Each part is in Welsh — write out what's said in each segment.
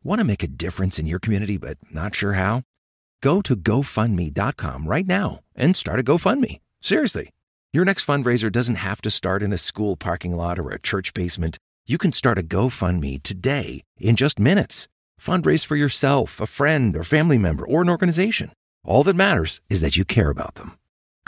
Want to make a difference in your community but not sure how? Go to GoFundMe.com right now and start a GoFundMe. Seriously. Your next fundraiser doesn't have to start in a school parking lot or a church basement. You can start a GoFundMe today in just minutes. Fundraise for yourself, a friend, or family member, or an organization. All that matters is that you care about them.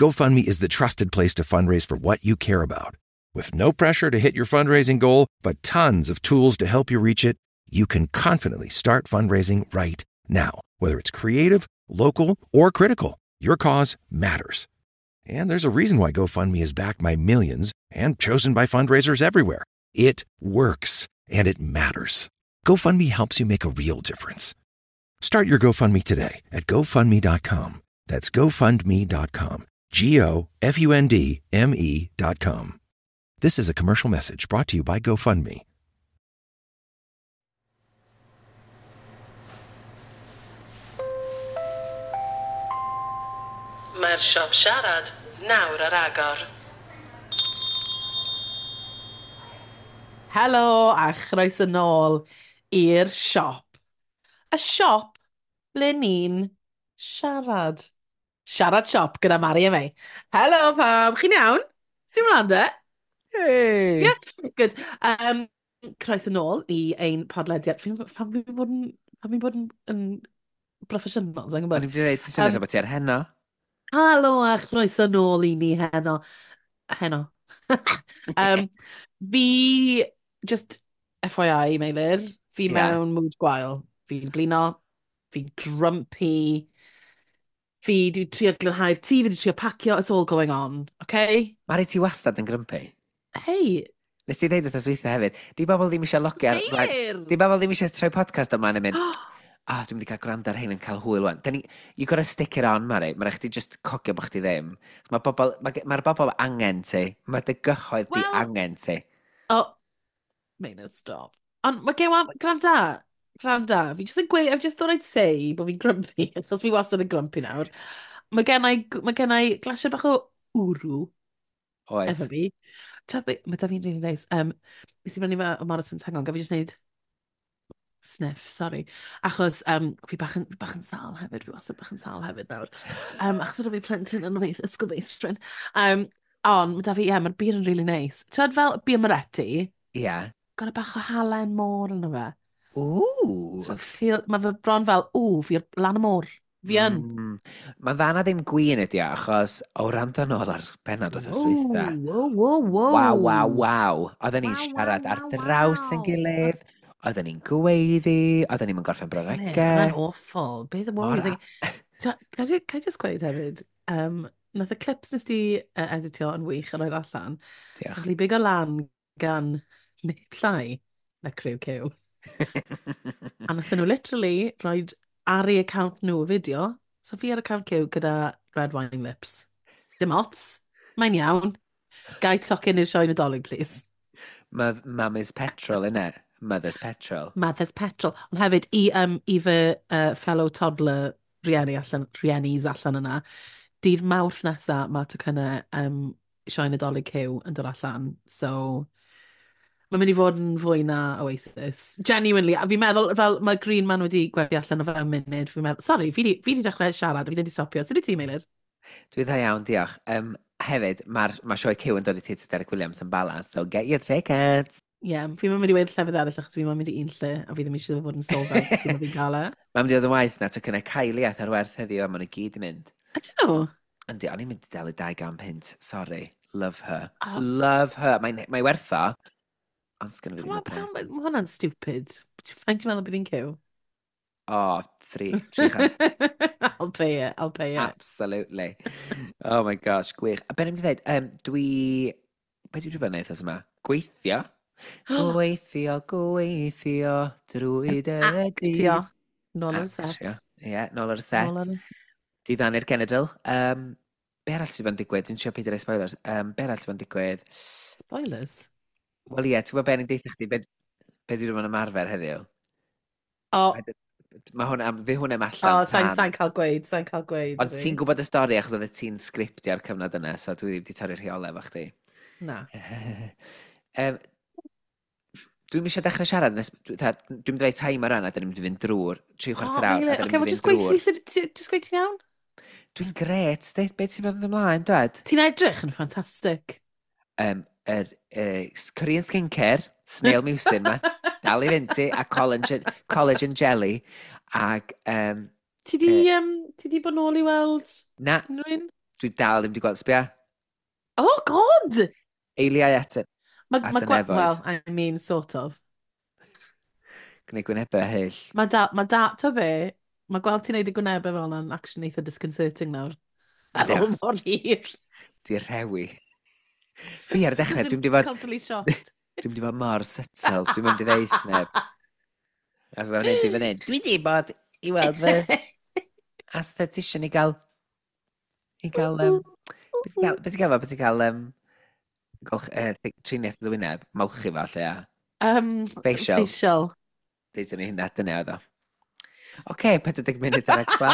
GoFundMe is the trusted place to fundraise for what you care about. With no pressure to hit your fundraising goal, but tons of tools to help you reach it, you can confidently start fundraising right now. Whether it's creative, local, or critical, your cause matters. And there's a reason why GoFundMe is backed by millions and chosen by fundraisers everywhere. It works, and it matters. GoFundMe helps you make a real difference. Start your GoFundMe today at GoFundMe.com. That's GoFundMe.com. GoFundMe.com. This is a commercial message brought to you by GoFundMe. Mae'r siop siarad nawr ar agor. Helo a chroeso nôl i'r siop. Y siop ble ni'n siarad. Siarad siop gyda Mari a Mei. Helo pawb, chi'n iawn? Ti'n mlaen de? Hey! Yeah, good. Croeso nôl i ein podlediad. Fi'n pam fi'n bod yn, pam fi'n bod yn broffesiynol, sa'n O'n gwybod. i'n mynd i ddweud, ti'n swnio fatha bod ti ar heno. Helo a chroeso nôl i ni heno. Heno. um, fi, just FYI, Meilir, fi mewn mood gwael. Fi'n blino, fi'n grumpy, fi di trio glanhau'r tŷ, fi di trio pacio, it's all going on, okay? Mari, ti wastad yn grumpy. Hey, Nes ti ddeud wrth weithio hefyd, di bobl ddim eisiau logio ar... Meilir! Di bobl ddim eisiau troi podcast ymlaen yn mynd, ah, dwi'n mynd i cael gwrando ar hyn yn cael hwyl wan. Ni, you gotta stick it on, Mari. Mae'n rhaid chdi just cogio bod chdi ddim. Mae bobl, mae'r ma bobl angen ti. Mae dy gyhoedd di angen ti. Oh, Meilir, stop. Ond mae gen i, gwranda, gwranda, fi just yn gweud, I just thought I'd say bod fi'n grumpy, achos fi wastad yn grumpy nawr. Mae gen i glasiau bach o wrw Oes. efo fi. Mae da fi'n really nice. Nes i brynu fe o Morrison's, hang on, gaf fi just neud sniff, sorry. Achos fi bach yn sâl hefyd, fi wastad bach yn sâl hefyd nawr. Achos mae da fi plentyn yn ysgol feithrin. Ond mae da fi, ie, yeah, mae'r beer yn really nice. Ti'n fel beer Moretti? Ie. Yeah. Got a bach o halen môr yno fe. Ooh. So feel, mae fe bron fel, ww, fi ar lan y môr. Fi yn. Mae'n dda na ddim gwin ydi o, achos o wrando nôl ar bennod wrth yswytha. Wow. Waw. Oedden ni'n siarad ar draws yn gilydd, oedden ni'n gweiddi, oedden ni'n gorffen brawddegau. Mae'n awful. Beth yn worry? Can I just gweud hefyd, nath y clips nes di editio yn wych a roed allan. Diolch. Cael ei bigo lan gan neb llai na Criw Cyw. A nath nhw literally rhoi ar ei account nhw y fideo. So fi ar account Cyw gyda red wine lips. Dim ots. Mae'n iawn. Gai tocyn i'r sioe Nadolig, please. Mama's petrol, innit? Mother's petrol. Mother's petrol. Ond hefyd, i fy fellow toddler rhieni's allan yna, dydd Mawrth nesa mae tocynnau sioe Nadolig Cyw yn dod allan. So, mae'n mynd i fod yn fwy na Oasis. Genuinely, a fi'n meddwl, fel mae Green Man wedi gwerthu allan o fewn munud, fi'n meddwl, sorry, fi di dechrau siarad, fi ddim wedi stopio. Sut wyt ti, Meilir? Dwi dda iawn, diolch. Hefyd, mae'r ma sioe Cyw yn dod i Theatr Derek Williams yn Bala, so get your tickets. Ie, yeah, fi'n mynd i weud llefydd eraill achos fi'n mynd i un lle a fi ddim eisiau fod yn sold out cyn fi'n cael e. Mae'n mynd i fod yn waith na tocynnau Kylie ath ar werth heddiw a maen nhw gyd yn mynd. Ydyn nhw? Yndi, o'n i'n mynd i dalu 200 punt. Sorry. Love her. Oh. Love her. Mae'n mae werth o, ond sgynno fi ddim y pres. Mae hwnna'n stupid. Faint ti'n meddwl bydd hi'n Cyw? O, 300. I'll pay it, I'll pay it. Absolutely. Oh my gosh, gwych. A be ni'n mynd i ddweud, Be dwi wedi bod yn neud wythnos yma? Gweithio. Gweithio, gweithio, drwy dy Actio. Nôl ar y set. Actio. Ie, yeah, nôl ar y set. Nôl ar y... Diddanu'r genedl. Be arall sydd wedi bod yn digwydd? Dwi'n siarad peidio rhoi spoilers. Be arall sydd wedi bod yn digwydd? Spoilers? Wel ie, ti'n gwybod be ni'n deitha chdi? Be dwi wedi bod yn ymarfer heddiw? O. Mae hwn am, fi hwn am allan. O, sa'n cael gweud, sa'n cael gweud. Ond ti'n gwybod y stori achos oedd ti'n sgriptio ar cyfnod yna, so dwi ddim wedi torri'r rheolau efo chdi. Na. Dwi'm eisiau dechrau siarad nes... Dwi'n mynd i roi timer yna, dyn ni'n mynd i fynd drwy'r tri Oh, chwarter awr, a Meilir, dyn oce, ni'n well, mynd i just fynd gweud drwy'r. fi sut, just gweud ti'n iawn? Dwi'n gret, de, beth sy'n mynd ymlaen, dwed? Ti'n edrych yn ffantastig. Yr Korean skincare, snail mucin ma, dal i fynd ti, a collagen jelly, ac Ti di bod nôl i weld na, unrhyw un? Dwi dal ddim wedi gweld, sbia, Oh, God! Eiliau at, Ma, at ma y gwa nefoedd. Well, I mean, sort of. Gwneud gwynebau hyll. Mae da, to be, mae gweld ti'n neud y gwynebau fel yna'n actually eitha disconcerting nawr. Ar Yndi, ôl achos mor hir. di rhewi. Fi ar y dechrau, Just dwi'n di fod, constantly shocked. Dwi'n di fod mor settled, dwi'n mynd i ddeith neb. A fe wneud i fan hyn. Dwi di bod i weld fy aesthetician i gael, beth ti'n gael, golch, triniaeth y wyneb, molchi fo, lle, a facial. Facial. Deudwn ni hynna, dyna oedd o. Oce, 40 munud ar agfa.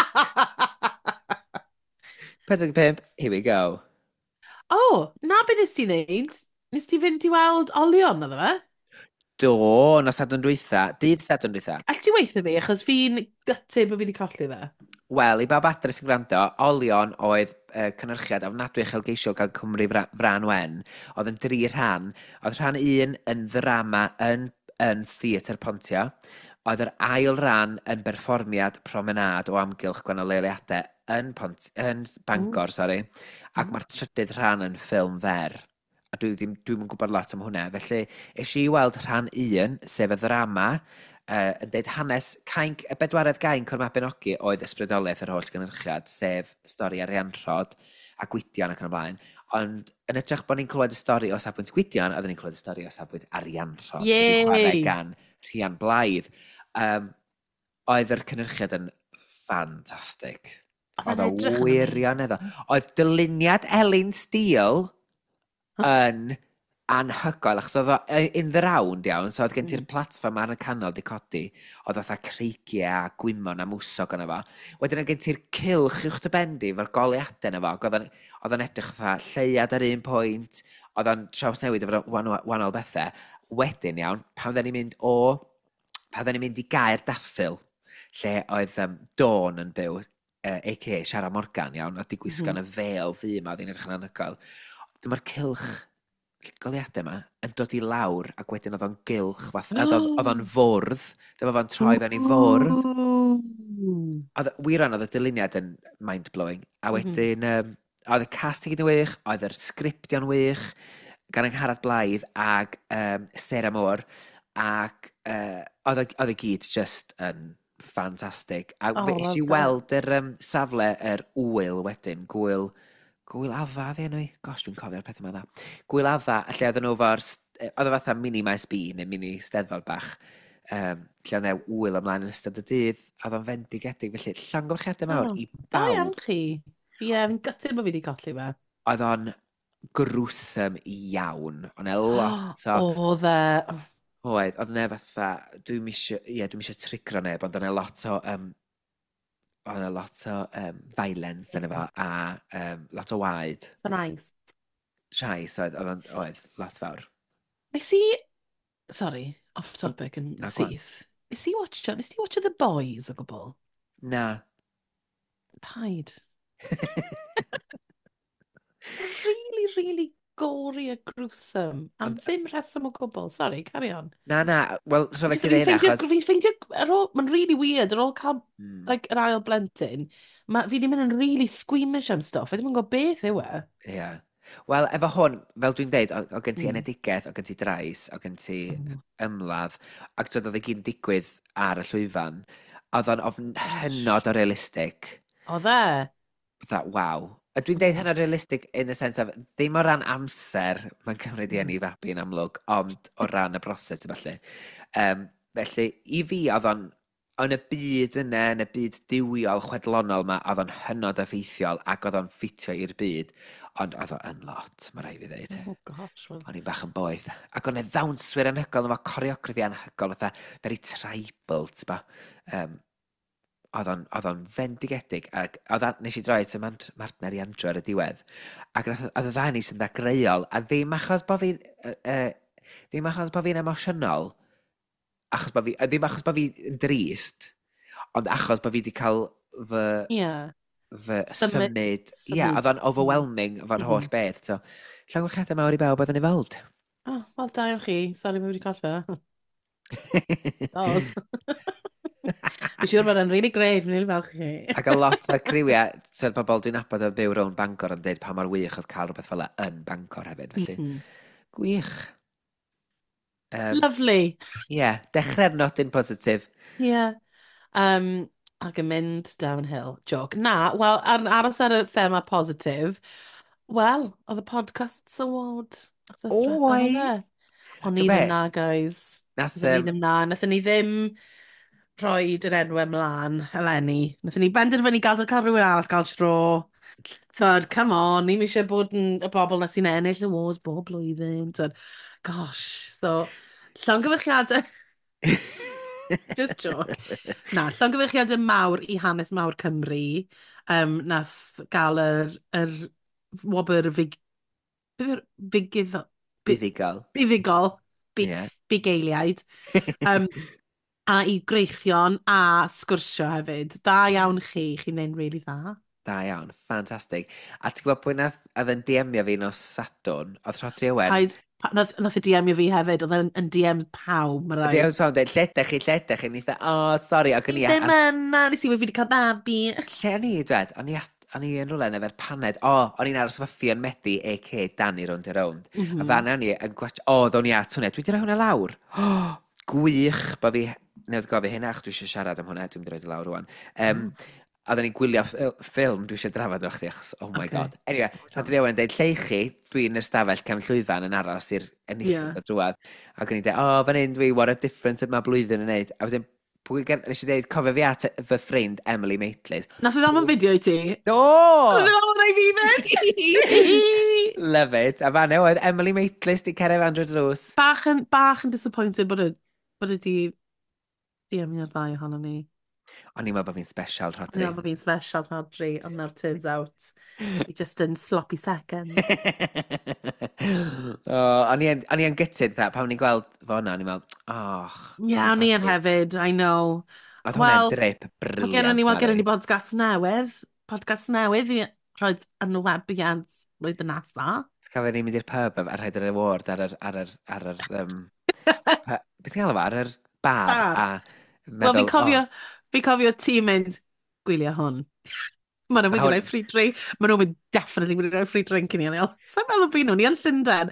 45, here we go. Oh, na be nes ti wneud? Nes ti fynd i weld Olion, oedd fe? Do, nos Sadwrn dwytha, dydd Sadwrn dwytha. All ti weithio fi, achos fi'n gutted bod fi wedi colli fe. Wel, i bawb adre sy'n gwrando, Olion oedd cynhyrchiad ofnadwy uchelgeisiol gan Cymru Frân Wen. Oedd yn dri rhan. Oedd rhan un yn ddrama yn Theatr Pontio. Oedd yr ail ran yn berfformiad promenad o amgylch gwahanol leoliadau yn Bangor, sorry. Ac mae'r trydydd rhan yn ffilm fer. A dwi ddim, dwi'm yn gwybod lot am hwnna. Felly, es i weld rhan un, sef y ddrama, yn deud hanes cainc, y bedwaredd gainc o'r Mabinogi oedd ysbrydoliaeth yr holl gynhyrchiad, sef stori Arianrhod a Gwydion ac yn y blaen. Ond yn hytrach bod ni'n clywed y stori o safbwynt Gwydion, oedden ni'n clywed y stori o safbwynt Arianrhod. Wedi chwarae Yay! gan Rhian Blythe. Oedd yr cynhyrchiad yn ffantastig. Oedd Oedd e'n o edrych yn wirioneddol. Oedd dyluniad Elin Steele yn anhygoel, achos oedd o in the round iawn, so oedd gen ti'r platfform ar y canol di codi, oedd fatha creigiau a gwymon a mwsog yna fo. Wedyn oedd gen ti'r cylch uwch dy ben di, efo'r goleuadau yna fo, ac oedd o'n edrych fatha lleuad ar un pwynt, oedd o'n trawsnewid efo'r wahanol bethau. Wedyn iawn, pan oedden ni'n mynd i Gaer Dathyl, lle oedd Dawn yn byw, a.k.a. Siara Morgan, iawn, oedd di gwisgo yn y fel ddu yma, oedd hi'n edrych yn anhygoel. Dyma'r cylch goleuadau yma yn dod i lawr ac wedyn oedd o'n gylch, fath, oedd o'n fwrdd, dyma fo'n troi fewn i fwrdd. Ooh. Oedd, wir oedd y dyluniad yn mind-blowing. A wedyn, oedd y cast i gyd yn wych, oedd yr sgriptio'n wych, gan Angharad Blythe ag Sarah Moore, ac oedd y gyd just yn ffantastig. A Oh, fe es well i done. weld yr safle yr wyl wedyn, Gwyl Adda, ddi enw i? Gosh, dwi'n cofio'r peth yma dda. Gwyl Adda, lle oedden nhw efo'r... Oedd o fatha mini Maes B, neu mini steddfod bach, lle oedd e wyl ymlaen yn ystod y dydd, a oedd o'n fendigedig. Felly, llongyfarchiadau mawr Oh, i Da iawn bawb. chi. Ie, fi'n gutted bod fi wedi colli fe. Oedd o'n gruesome iawn. Oedd e lot o Oedd e. Oedd, oedd 'na fatha, dwi'n isio, ie, dwi'n isio trigro neb, ond oedd 'na lot o, oedd 'na lot o violence yna fo, a lot o waed. So nice. Trais, oedd, oedd, oedd, lot fawr. Nes i... Sorry, off topic yn Na, go on. syth. Nes ti watcho The Boys o gwbl? Na. Paid. Really, really gory a gruesome. Am ddim rheswm o gwbl. Sorry, carry on. Na, na, wel, rhyfedd Just ti ddeud hynna, achos Fi'n ffeindio, ar ôl, mae'n really weird, ar ôl cael like, yr ail blentyn, ma, fi wedi mynd yn really squeamish am stuff. Fi ddim yn gwybod beth yw e. Ie. Yeah. Wel, efo hwn, fel dwi'n deud, o gen ti enedigaeth, o gen ti drais, o gen ti ymladd, ac twyd oedd i gyd yn digwydd ar y llwyfan, oedd o'n ofn hynod o realistig. Oedd e? Fatha, waw. A dwi'n deud hynod realistig in the sense of, ddim o ran amser mae'n cymryd i eni fabi yn amlwg, ond o ran y broses, felly. Felly, i fi, oedd o'n, yn y byd yna, yn y byd duwiol chwedlonol yma, oedd o'n hynod effeithiol ac oedd o'n ffitio i'r byd, ond oedd o yn lot, mae rhaid fi ddeud. Oh gosh, well. O'n i'n bach yn boeth. Ac o'n e ddawnswyr anhygoel, efo choreography anhygoel, fatha very tribal, t'bo. Oedd o'n fendigedig, ac oedd nes i droi at y martner i Andrew ar y diwedd, ac oedd y ddau ni sy'n ddagreuol, a ddim achos bod fi'n emosiynol, Achos bod fi, ddim achos bod fi yn drist, ond achos bod fi wedi cael fy, fy Symud. symud. Ie, yeah, oedd o'n overwhelming efo'r holl beth. So, llongyfarchiadau mawr i bawb oedd yn involved. Oh, wel, da iawn chi. Sorry, mae wedi colli fe. Sos. Fi'n siŵr bod e'n really great, fi'n really falch i chi. Ac a lot o criwiau, so bobl dwi'n nabod yn byw rownd Bangor yn dweud pa mor wych oedd cael rhywbeth fel 'na yn Bangor hefyd. Felly, gwych. Lovely. Ie, yeah, dechrau'r nodyn positif. Yeah. Ac yn mynd downhill. Joke. Na, wel, aros ar y thema positif, wel, oedd y Podcasts Award wythnos diwetha, Oi! oedd e? O'n Ti'n i ddim be? na, guys. Nath, Nathon ni ddim na. Nathon ni ddim rhoi yr enwau ymlaen eleni. Nathon ni benderfynu gael rhywun arall gael tro. Twyd, come on, ni'm eisiau bod yn y bobl na sy'n ennill awards bob blwyddyn. Twyd, gosh, so, llongyfarchiadau. Just joke. Na, llongyfarchiadau mawr i Hanes Mawr Cymru. Nath gael yr wobr fig... Beth yw'r Bigiddo... Buddugol. Buddugol. Bugeiliaid. A i Greichion a Sgwrsio hefyd. Da iawn chi, chi'n neud really dda. Da iawn, ffantastig. A ti'n gwybod pwy nath, oedd yn DM-io fi nos Sadwrn, oedd Rhodri Owen. Paid, nath e DM-io fi hefyd, oedd e'n yn DM pawb, mae DM rhaid. pawb dweud, lle ydych chi, lle ydych chi? Ni dda, oh, sorry, ac o'n i... Ddim yn, na, nes i wedi cael babi. Lle o'n i, dwed? O'n i yn rhywle yn efo'r paned. O, o'n i'n aros efo Ffion Medi, a.k.a. Danny Rownd a Rownd. A fan o'n i yn gwatch, o, ddo'n i at hwnna. Dwi wedi rhoi hwnna lawr. Oh, gwych bod fi newydd gofio hynna, achos dwi eisiau siarad am hwnna, dwi'n mynd i roid i lawr rwan. A oedden ni'n gwylio ffilm dwi eisiau drafod efo chdi, achos, oh my God. Anyway, Rhodri Owen yn dweud, lle i chi, dwi'n yr stafell cefn llwyfan yn aros i'r enillydd o drwad. Ac o'n i'n dweud, oh, fan hyn dwi, what a difference mae blwyddyn yn neud. A wedyn, nes i dweud, cofio fi at fy ffrind Emily Maitlis. Nath e ddal fideo i ti? Do! Nath e ddal i fi fyd! Love it. A fan oedd Emily Maitlis di cerdded fan drwy drws. Bach yn disappointed bod e di DM-io'r ddau ohono ni. O'n i'n meddwl bod fi'n special, O'n Rhodri. i'n meddwl bod fi'n special, Rhodri, ond nawr turns out, we just in sloppy seconds. Oh, o'n i yn gutted, dda, pan o'n i'n gweld fo hwnna, o'n i'n meddwl, oh. Ie, yeah, o'n i yn hefyd, I know. Oedd hwnna'n Wel, drip Mae brilliant, gennym ni, wel, gennym ni Mari. podcast newydd i rhoi enwebiad blwyddyn nesaf. Ti'n cofio ni'n mynd i'r pub a rhaid yr award ar yr, beth ti'n gael efo? Ar yr bar, Bar. a Wel, meddwl, fi'n cofio ti mynd, gwylio hwn. Maen nhw'n mynd i roi free drink. Maen nhw'n mynd definitely mynd i roi free drink i ni. O'n i fel, sa'n meddwl byd nhw, ni yn Llundain.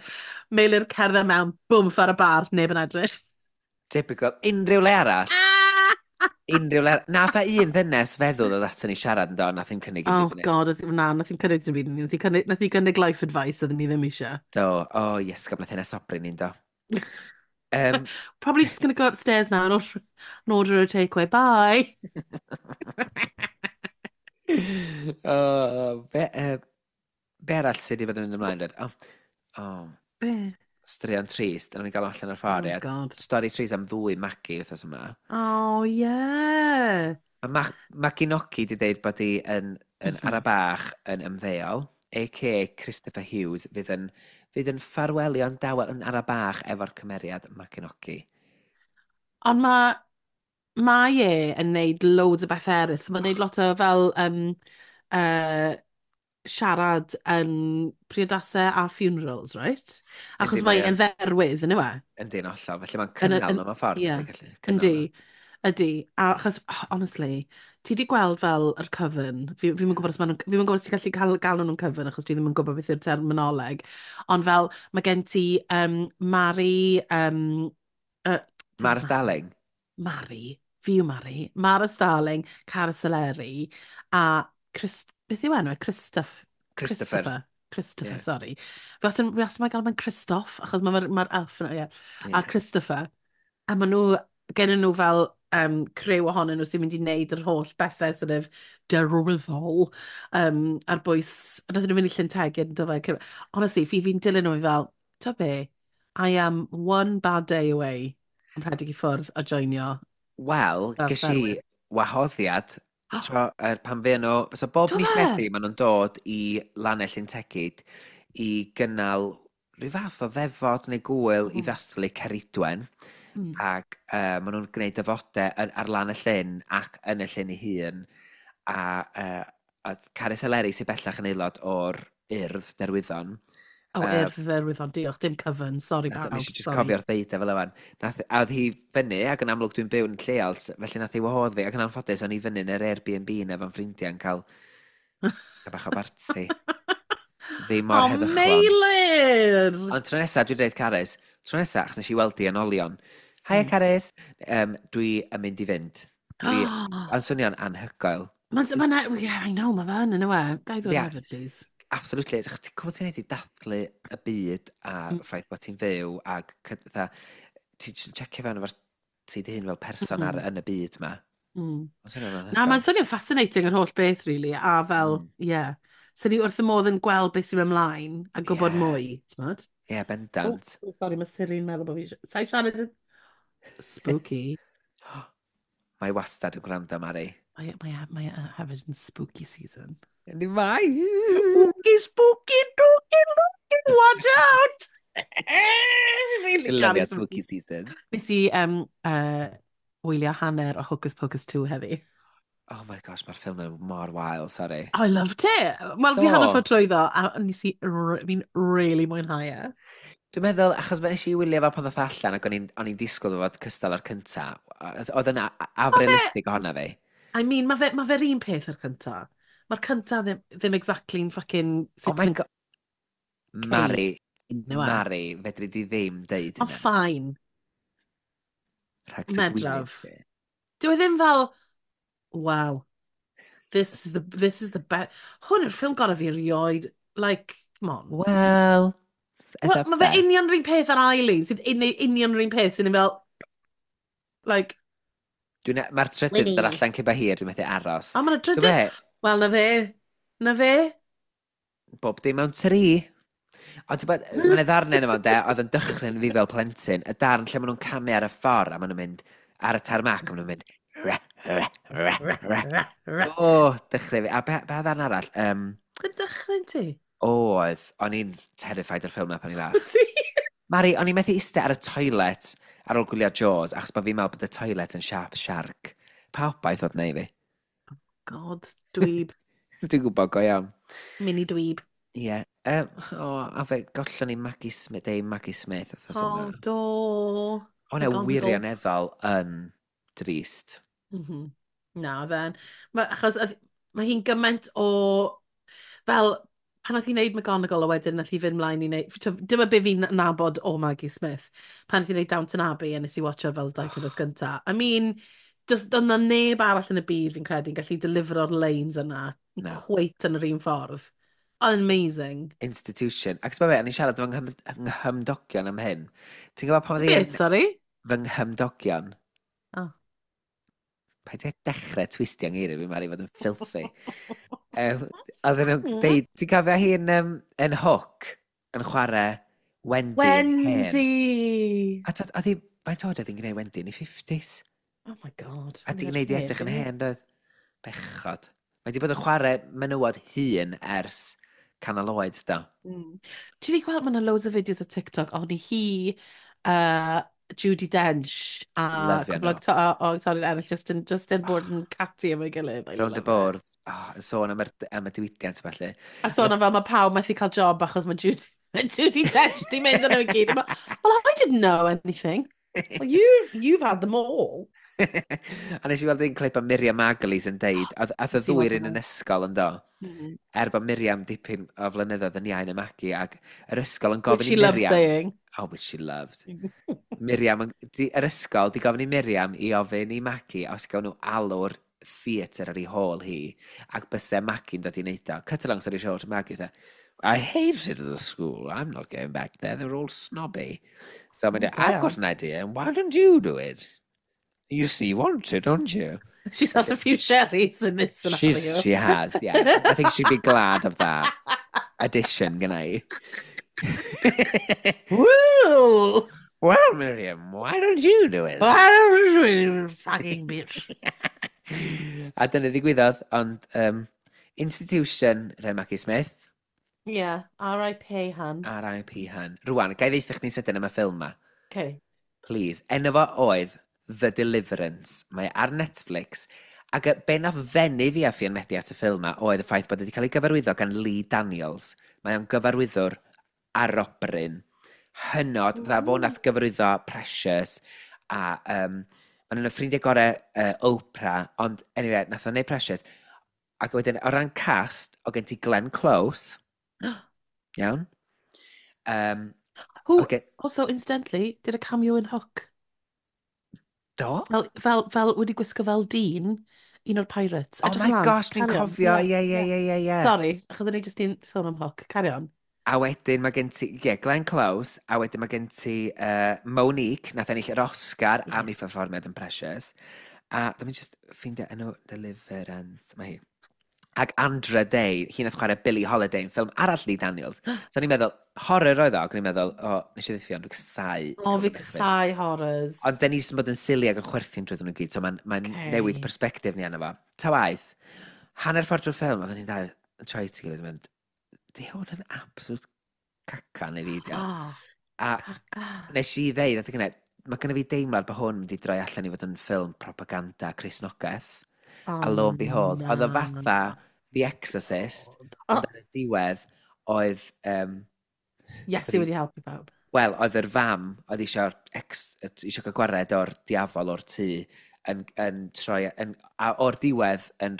Meilir cerdded mewn, bwmff ar y bar, neb yn edrych. Typical. Unrhyw le arall. Unrhyw le arall. Nath a un ddynes feddwl ddod aton ni siarad yn do, nath i'n cynnig Oh dim byd i ni. God, na, nath i'n cynnig dim byd i ni. Nath i gynnig life advice oedden ni ddim eisiau. Do, oh, yes, nath hynna sobri ni'n do. Probably just going to go upstairs now and order a takeaway. Bye. Oh, be arall sydd wedi bod yn mynd ymlaen, dweud? Oh, Be? straeon trist, a ni'n gael allan o'r ffordd, Oh ie. God. Stori trist am ddwy Magi wythnos yma. Oh, yeah. Mae Magi Noki wedi dweud bod hi yn ara bach yn ymddeol, a.k.a. Christopher Hughes, fydd yn ffarwelio'n dawel yn ara bach efo'r cymeriad Magi Noki. Ond mae e yn neud loads o bethau eraill. So mae'n neud lot o fel siarad yn priodasau a funerals, right? Achos Yndi, mae mae e'n dderwydd, yn yw e? Yndi, yn hollol. Felly mae'n cynnal nhw mewn ffordd. Yndi, gallu cynnal Yndi, nhw. ydy. A achos, oh, honestly, ti di gweld fel yr coven, fi ddim yn gwybod os fi ddim yn gwybod os ti'n gallu cael, galw nhw'n coven, achos dwi ddim yn gwybod beth yw'r terminoleg, ond fel, mae gen ti Mari, Mara Starling. Mari, fi yw Mari, Mara Starling, Cara Soleri, a Chris, beth yw enw e? Christoph, Christopher. Christopher, Christopher, Ie. sorry. Fi wastad yn gael mae'n Christoph, achos mae'r ma elf yna, ie. A Christopher. A maen nhw, gen nhw fel criw ohonyn nhw sy'n mynd i wneud yr holl bethau sort of derwyddol ar bwys, nath nhw fynd i Llyn Tegid, do fe? Honestly, fi'n dilyn nhw fi fel, ta be, I am one bad day away yn rhedeg i ffwrdd a joinio. Wel, Fel ges i ffermwyr. wahoddiad tro, pan fe nhw. So bob Do mis fe? Medi maen nhw'n dod i Lannau Llyn Tegid i gynnal rhyw fath o ddefod neu gwyl i ddathlu Ceridwen. Ac maen nhw'n gwneud defodau ar lan y llyn ac yn y llyn ei hun. A Carys Eleri sy'n bellach yn aelod o'r Urdd Derwyddon. O, Urdd Derwyddon, diolch, dim cyfan, sorry nath, bawb. Nes i just sorry. cofio'r ddeud e fel yfan. Nath, a oedd hi fyny, ac yn amlwg dwi'n byw yn lleol, felly nath hi wahodd fi, ac yn anffodus o'n i fyny yn yr Airbnb na efo'n ffrindiau yn cael bach o barti. Ddim mor O, heddychlon. Meilir! Ond tro nesaf, dwi'n dweud Carys, tro nesaf, achos nes i weld di yn olion. Haia Carys, dwi yn mynd i fynd. Dwi, yn swnio'n anhygoel. Mae'n, ma, yeah, I know, mae fe yn, yn yw e. Gai ddod Ie. hefyd, please. Absolutely. Ti'n gwybod ti'n neud i dathlu y byd a ffaith bod ti'n fyw ac fatha, ti'n jyst yn checio fewn efo'r ti dy hun fel person ar, yn y byd ma. Mae'n swnio'n Na, anhygoel. mae'n swnio'n fascinating yr holl beth, really. A fel, ie. Yeah. So ni wrth y modd yn gweld beth sy'n mynd ymlaen a gwybod mwy, ti'n modd? Ie, yeah, bendant. Oh, sorry, mae Siri'n meddwl bod fi... Sa'i siarad yn... Spooky. Mae wastad yn gwrando, Mari. Mae hefyd yn spooky season. Yndi mae! Spooky, spooky, dooky, looky, watch out! Really Lyfio caru spooky season. Nes i wylio hanner o Hocus Pocus 2 heddi. Oh my gosh, mae'r ffilm yn mor wael, sorry. I loved it! Wel, fi Do. hanner ffordd trwyddo, a nes i, fi'n really mwynhau e. Dwi'n meddwl, achos nes i wylio fo pan ddoth allan ac o'n i'n disgwyl fo fod cystal ar cynta. Oedd yna afrealistig ohono fi. I mean, ma fe'r un peth ar cynta. Mae'r cynta ddim exactly'n fucking Oh my Citizen god. Mari, Kane, yw e? Mari, fedri di ddim deud Ond hynna. fine. Rhag sy gwyneb Medraf. ti. Dyw e ddim fel, wow, this is the best. Hwn yw'r ffilm gorau fi erioed. Like, come on. Wel, it's Wel, up mae fe there. union rhywun peth ar ail un, sydd union rhywun peth sy'n fel, like, Mae'r trydydd yn dod allan cyn bo hir, dwi'n methu aros. O, mae'n Dwi'n trydydd. be, Wel, na fe. Na fe. Bob dim mewn tri. Ond ti'n bod, mae'n ddarn yna fo, de, oedd yn dychryn fi fel plentyn, y darn lle maen nhw'n camu ar y ffordd, a maen nhw'n mynd ar y tarmac, a maen nhw'n mynd re, re, re, re. O, dychryn fi. A be ddarn arall? Yn dychryn ti? Oedd, o'n i'n terrified o'r ffilm na pan i'n fach. Ti? Mari, o'n i'n methu eistedd ar y toilet ar ôl gwylio Jaws, achos bod fi'n meddwl bod y toilet yn siap shark. Pa obaith oedd na i fi? God, dweeb. Dwi'n gwybod go iawn. Mini dweeb. Ie. Yeah. O, a fe gollon ni Maggie Smith, Dame Maggie Smith. Wythnos O, yma. do. O, ne, McGonagall. wirioneddol yn drist. Na, then. Achos mae hi'n gymaint o... Fel, pan nath hi wneud McGonagall a wedyn nath hi fynd mlaen i wneud... Dyma be fi'n nabod o Maggie Smith. Pan nath hi wneud Downton Abbey a nes i watcho fel dau cyfres gynta. I mean, just, doedd 'na neb arall yn y byd fi'n credu yn gallu delivero'r lines yna No. quite yn yr un ffordd. Amazing. Institution. Ac ti'n be, o'n i'n siarad efo nghymdogion am hyn. Ti'n gwybod pan oedd Beth, sorry? Fy nghymdogion. Oh. Paid â dechrau twistio ngeiriau fi, Mari, fod yn filthy. Oedden nhw'n deud, ti'n cofio hi'n yn Hook yn chwarae Wendy yn hen? Wendy! A oedd hi, faint oed oedd hi'n gwneud Wendy yn ei 50s? Oh my God. A di gwneud i edrych yn hen, doedd? Bechod. Mae di bod yn chwarae menywod hŷn ers canol oed, do. Ti wedi gweld, mae yna loads o fideos o TikTok, ond hi, Judi Dench a Lyfio cwpl o nhw. o actorion eraill just yn bod yn catty efo'i gilydd. I Rownd y love it. bwrdd, oh, yn sôn am y diwydiant a ballu. A sôn am fel mae pawb methu cael job achos mae Judi Dench di mynd yn nhw i gyd. Well, I didn't know anything. Well, you've had them all. A nes i weld un clip o Miriam Margolyes yn deud, oedd y Nes i ddwy weld un yn hwnna. ysgol yn do. Er bod Miriam dipyn o flynyddoedd yn iau na Maggie, ac yr ysgol yn gofyn Which she i loved Miriam. saying. Oh, which she loved. Miriam, yr ysgol di gofyn i Miriam i ofyn i Maggie os gawn nhw alw'r theatr ar ei hôl hi, ac byse Maggie'n dod i wneud o. Cut a long story short, Maggie fatha, "I hated the school, I'm not going back there, they're all snobby." So mae'n dweud, "I've got an idea, and why don't you do it? You see, you want to, don't you?" She's had a few sherries in this scenario. She has, yeah. I think she'd be glad of that addition, gynna i. Woo! "Well, Miriam, why don't you do it?" Fucking bitch. A dyna ddigwyddodd, ond institution, Ren Maggie Smith, Yeah, R.I.P. hun. R.I.P. hun. Rwan, gai ddeutha chdi'n sydyn am y ffilm ma. Okay. Please. Enw fo oedd The Deliverance. Mae ar Netflix. Ac be nath ddenu fi a Ffion Medi at y ffilm ma oedd y ffaith bod wedi cael ei gyfarwyddo gan Lee Daniels. Mae o'n gyfarwyddwr arobryn. Hynod. Fydda fo nath gyfarwyddo Precious a maen nhw'n y ffrindiau gorau Oprah, ond anyway, nath o'n neud Precious. Ac wedyn, o ran cast, o gen ti Glenn Close. Iawn. Who, okay. also, incidentally, did a cameo in Hook. Do? Fel wedi gwisgo fel dyn, un o'r pirates. Oh Edrych my ymlaen, gosh, dwi'n carry on. cofio. Ie. Sorry, achos o'n i jyst i'n sôn am Hook. Carry on. A wedyn mae gen ti, ie, yeah, Glenn Close, a wedyn mae gen ti Monique, nath ennill yr Oscar am ei pherfformiad yn Precious. A dwi'n just ffeindio enw Deliverance, mae hi. Ac Andra Day, hi nath chwarae Billie Holiday yn ffilm arall Lee Daniels. So o'n i'n meddwl, horror oedd o, ac o'n i'n meddwl, o, nes i ddiffion, dwi'n casau. O, fi casau horrors. Ond den ni jyst yn bod yn silly ac yn chwerthin drwyddyn nhw gyd, so mae'n mae newid perspectif ni arno fo. Ta waith, hanner ffordd drwy'r ffilm, oedden ni'n dau yn troi at ei gilydd yn mynd, di hwn yn absolute caca neu fi, di o?" Oh, A caca. nes i ddeud, adeg yna, mae gynna fi deimlad bod hwn wedi droi allan i fod yn ffilm propaganda Cristnogaeth. Oh, A lo and behold, oedd o na. fatha The Exorcist, Oh, ond ar y diwedd oedd, Iesu wedi helpu pawb. wel, oedd yr fam, oedd eisiau eisiau cael gwared o'r diafol o'r tŷ, yn troi, a o'r diwedd yn